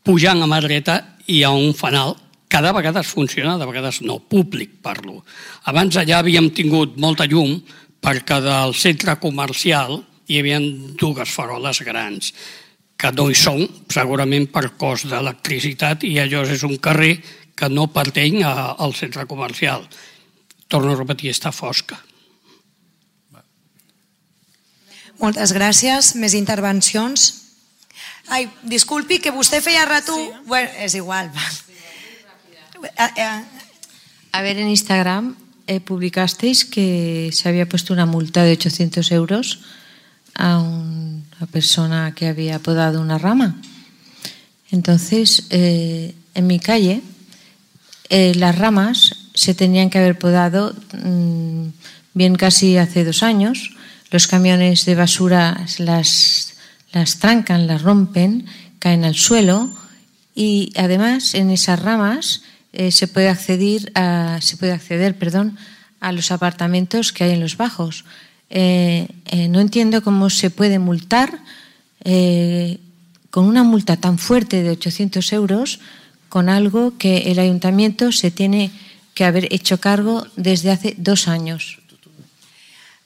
Pujant a mà dreta hi ha un fanal que de vegades funciona, de vegades no, públic parlo. Abans allà havíem tingut molta llum perquè del centre comercial hi havia dues faroles grans que no hi són, segurament per cost d'electricitat, i allò és un carrer que no pertany al centre comercial. Torno a repetir, està fosca. Moltes gràcies. Més intervencions? Ai, disculpi, que vostè feia rato... Bueno, és igual. A ver, en Instagram eh, publicasteis que se había puesto una multa de ochocientos euros a una persona que había podado una rama. Entonces, eh, en mi calle, eh, las ramas se tenían que haber podado mmm, bien casi hace dos años. Los camiones de basura las, las trancan, las rompen, caen al suelo y además en esas ramas eh, se puede acceder, a, se puede acceder perdón, a los apartamentos que hay en los bajos. Eh, eh, no entiendo cómo se puede multar eh, con una multa tan fuerte de ochocientos euros con algo que el ayuntamiento se tiene que haber hecho cargo desde hace dos años.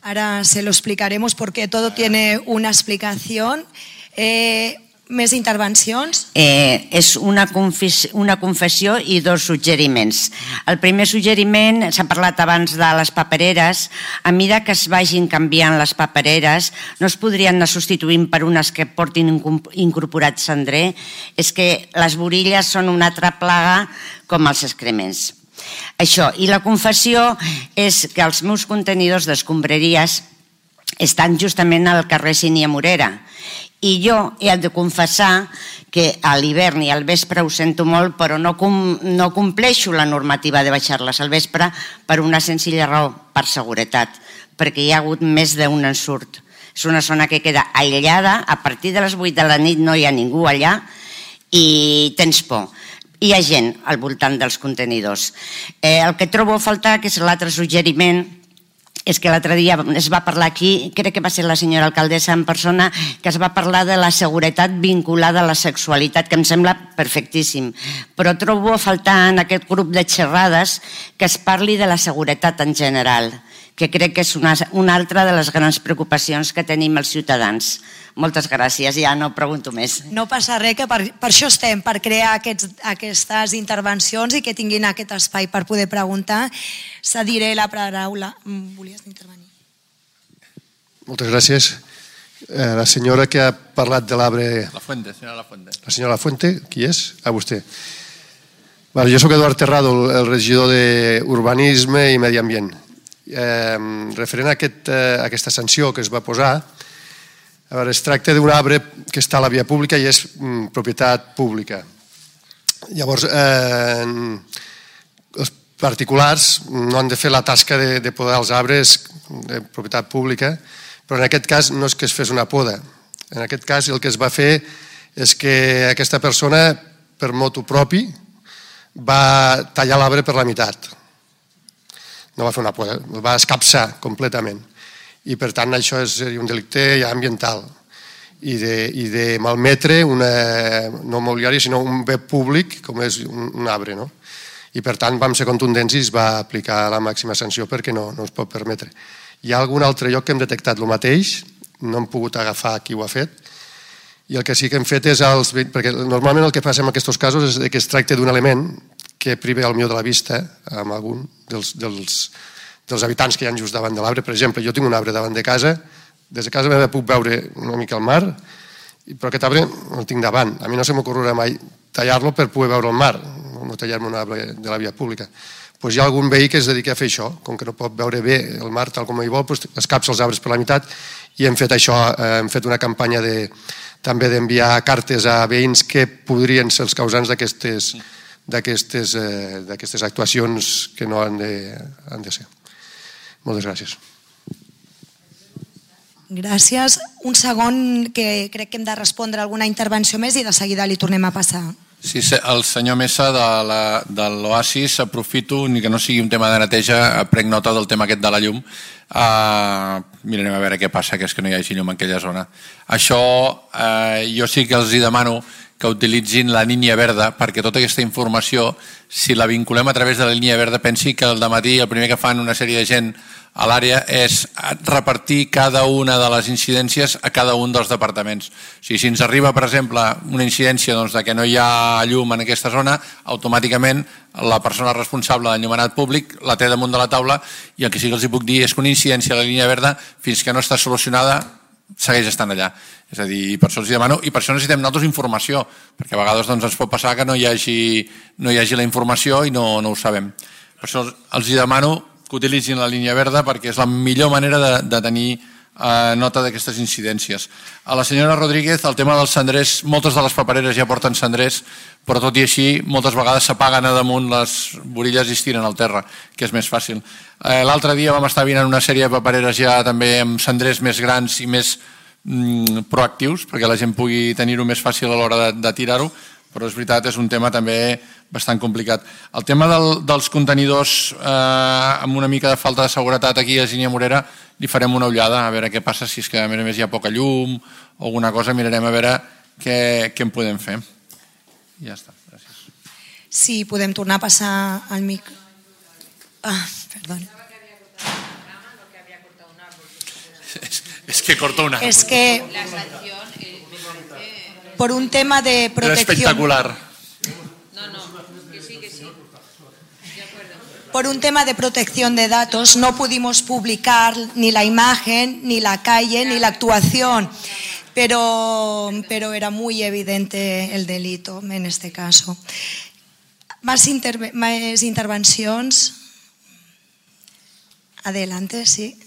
Ahora se lo explicaremos porque todo tiene una explicación. Eh, més intervencions? Eh, és una, confes una confessió i dos suggeriments. El primer suggeriment, s'ha parlat abans de les papereres, a mesura que es vagin canviant les papereres, no es podrien anar substituint per unes que portin incorporat cendrer, és que les borilles són una altra plaga com els excrements. Això, i la confessió és que els meus contenidors d'escombraries estan justament al carrer Sínia Morera i jo he de confessar que a l'hivern i al vespre ho sento molt, però no, com, no compleixo la normativa de baixar-les al vespre per una senzilla raó, per seguretat, perquè hi ha hagut més d'un ensurt. És una zona que queda aïllada, a partir de les vuit de la nit no hi ha ningú allà i tens por. Hi ha gent al voltant dels contenidors. Eh, el que trobo a faltar, que és l'altre suggeriment, és que l'altre dia es va parlar aquí, crec que va ser la senyora alcaldessa en persona, que es va parlar de la seguretat vinculada a la sexualitat, que em sembla perfectíssim. Però trobo a faltar en aquest grup de xerrades que es parli de la seguretat en general, que crec que és una, una altra de les grans preocupacions que tenim els ciutadans. Moltes gràcies, ja no pregunto més. No passa res, que per, per això estem, per crear aquests, aquestes intervencions i que tinguin aquest espai per poder preguntar. Cediré la paraula. Volies intervenir? Moltes gràcies. Eh, la senyora que ha parlat de l'arbre... La Fuente, senyora La Fuente. La senyora La Fuente, qui és? Ah, vostè. Vale, jo soc Eduard Terrado, el regidor d'Urbanisme i Medi Ambient. Eh, referent a, aquest, a aquesta sanció que es va posar, a veure, es tracta d'un arbre que està a la via pública i és mm, propietat pública. Llavors, eh, els particulars no han de fer la tasca de, de podar els arbres de propietat pública, però en aquest cas no és que es fes una poda. En aquest cas el que es va fer és que aquesta persona, per motu propi, va tallar l'arbre per la meitat. No va fer una poda, el va escapçar completament. I per tant això és un delicte ja ambiental i de, i de malmetre una, no mobiliari sinó un bé públic com és un, un arbre, no? I per tant vam ser contundents i es va aplicar la màxima sanció perquè no, no es pot permetre. Hi ha algun altre lloc que hem detectat el mateix, no hem pogut agafar qui ho ha fet, i el que sí que hem fet és els, perquè normalment el que passa en aquests casos és que es tracta d'un element que priva el millor de la vista amb algun dels, dels dels habitants que hi ha just davant de l'arbre. Per exemple, jo tinc un arbre davant de casa, des de casa meva puc veure una mica el mar, però aquest arbre el tinc davant. A mi no se m'ocorrerà mai tallar-lo per poder veure el mar, no tallar-me un arbre de la via pública. Doncs hi ha algun veí que es dedica a fer això, com que no pot veure bé el mar tal com hi vol, doncs escapça els arbres per la meitat i hem fet això, hem fet una campanya de, també d'enviar cartes a veïns que podrien ser els causants d'aquestes d'aquestes eh, d'aquestes actuacions que no han de, han de ser. Moltes gràcies. Gràcies. Un segon, que crec que hem de respondre alguna intervenció més i de seguida li tornem a passar Sí, el senyor Mesa de l'Oasis, aprofito, ni que no sigui un tema de neteja, prenc nota del tema aquest de la llum. Mirarem a veure què passa, que és que no hi hagi llum en aquella zona. Això jo sí que els demano que utilitzin la línia verda, perquè tota aquesta informació, si la vinculem a través de la línia verda, pensi que al dematí el primer que fan una sèrie de gent a l'àrea és repartir cada una de les incidències a cada un dels departaments. O sigui, si ens arriba, per exemple, una incidència doncs, de que no hi ha llum en aquesta zona, automàticament la persona responsable d'enllumenat públic la té damunt de la taula, i el que sí que els puc dir és que una incidència a la línia verda, fins que no està solucionada, segueix estant allà. És a dir, per això els demano, i per això necessitem nosaltres informació, perquè a vegades doncs, ens pot passar que no hi hagi, no hi hagi la informació i no, no ho sabem. Per això els demano que utilitzin la línia verda, perquè és la millor manera de, de tenir eh, nota d'aquestes incidències. A la senyora Rodríguez, el tema dels cendrers, moltes de les papereres ja porten cendrers, però tot i així, moltes vegades s'apaguen a damunt les borilles i es tiren al terra, que és més fàcil. Eh, L'altre dia vam estar venint una sèrie de papereres ja també amb cendrers més grans i més mm, proactius, perquè la gent pugui tenir-ho més fàcil a l'hora de, de tirar-ho, però és veritat, és un tema també bastant complicat. El tema del, dels contenidors eh, amb una mica de falta de seguretat aquí a Ginia Morera, li farem una ullada a veure què passa, si és que a més a més hi ha poca llum o alguna cosa, mirarem a veure què, què en podem fer. I ja està, gràcies. Sí, podem tornar a passar al mic. Ah, perdona. Es, es que cortó un árbol. Es que por un tema de protección. Era espectacular. No, no, que sí, que sí. De acuerdo. Por un tema de protección de datos no pudimos publicar ni la imagen, ni la calle, ni la actuación, pero, pero era muy evidente el delito en este caso. Más, interve más intervencions? Adelante, sí.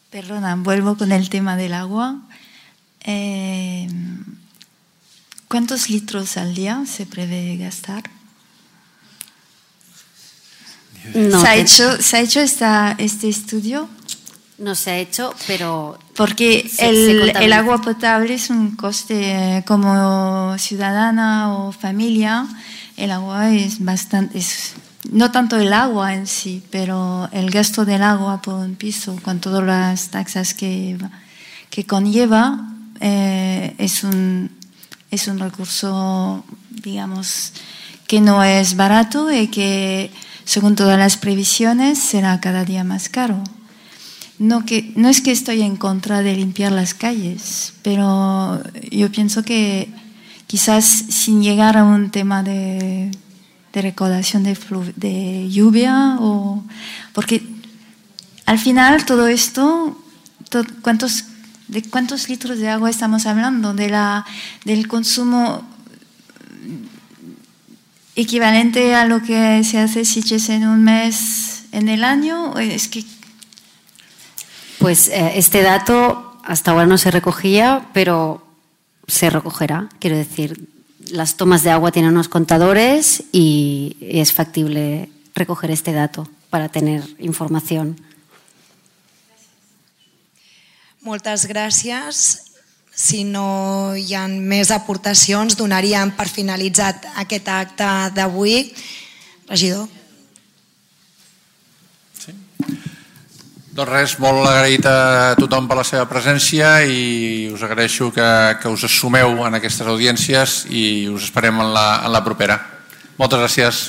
Perdona, vuelvo con el tema del agua. Eh, ¿Cuántos litros al día se prevé gastar? No, ¿Se, ha te... hecho, ¿Se ha hecho esta, este estudio? No se ha hecho, pero... Porque se, el, se el agua potable es un coste como ciudadana o familia. El agua es bastante... Es, no tanto el agua en sí, pero el gasto del agua por un piso, con todas las taxas que, que conlleva, eh, es, un, es un recurso, digamos, que no es barato y que, según todas las previsiones, será cada día más caro. No, que, no es que estoy en contra de limpiar las calles, pero yo pienso que quizás sin llegar a un tema de... de recaudación de, de lluvia, o porque al final todo esto, todo, ¿cuántos, ¿de cuántos litros de agua estamos hablando? De la, del consumo equivalente a lo que se hace Sitges en un mes en el año. Es que... Pues eh, este dato hasta ahora no se recogía, pero se recogerá, quiero decir. Las tomas de agua tienen unos contadores y es factible recoger este dato para tener información. Moltes gràcies. Si no hi ha més aportacions, donaríem per finalitzat aquest acte d'avui. Regidor. Sí. Doncs res, molt agraït a tothom per la seva presència i us agraeixo que, que us sumeu en aquestes audiències i us esperem en la, en la propera. Moltes gràcies.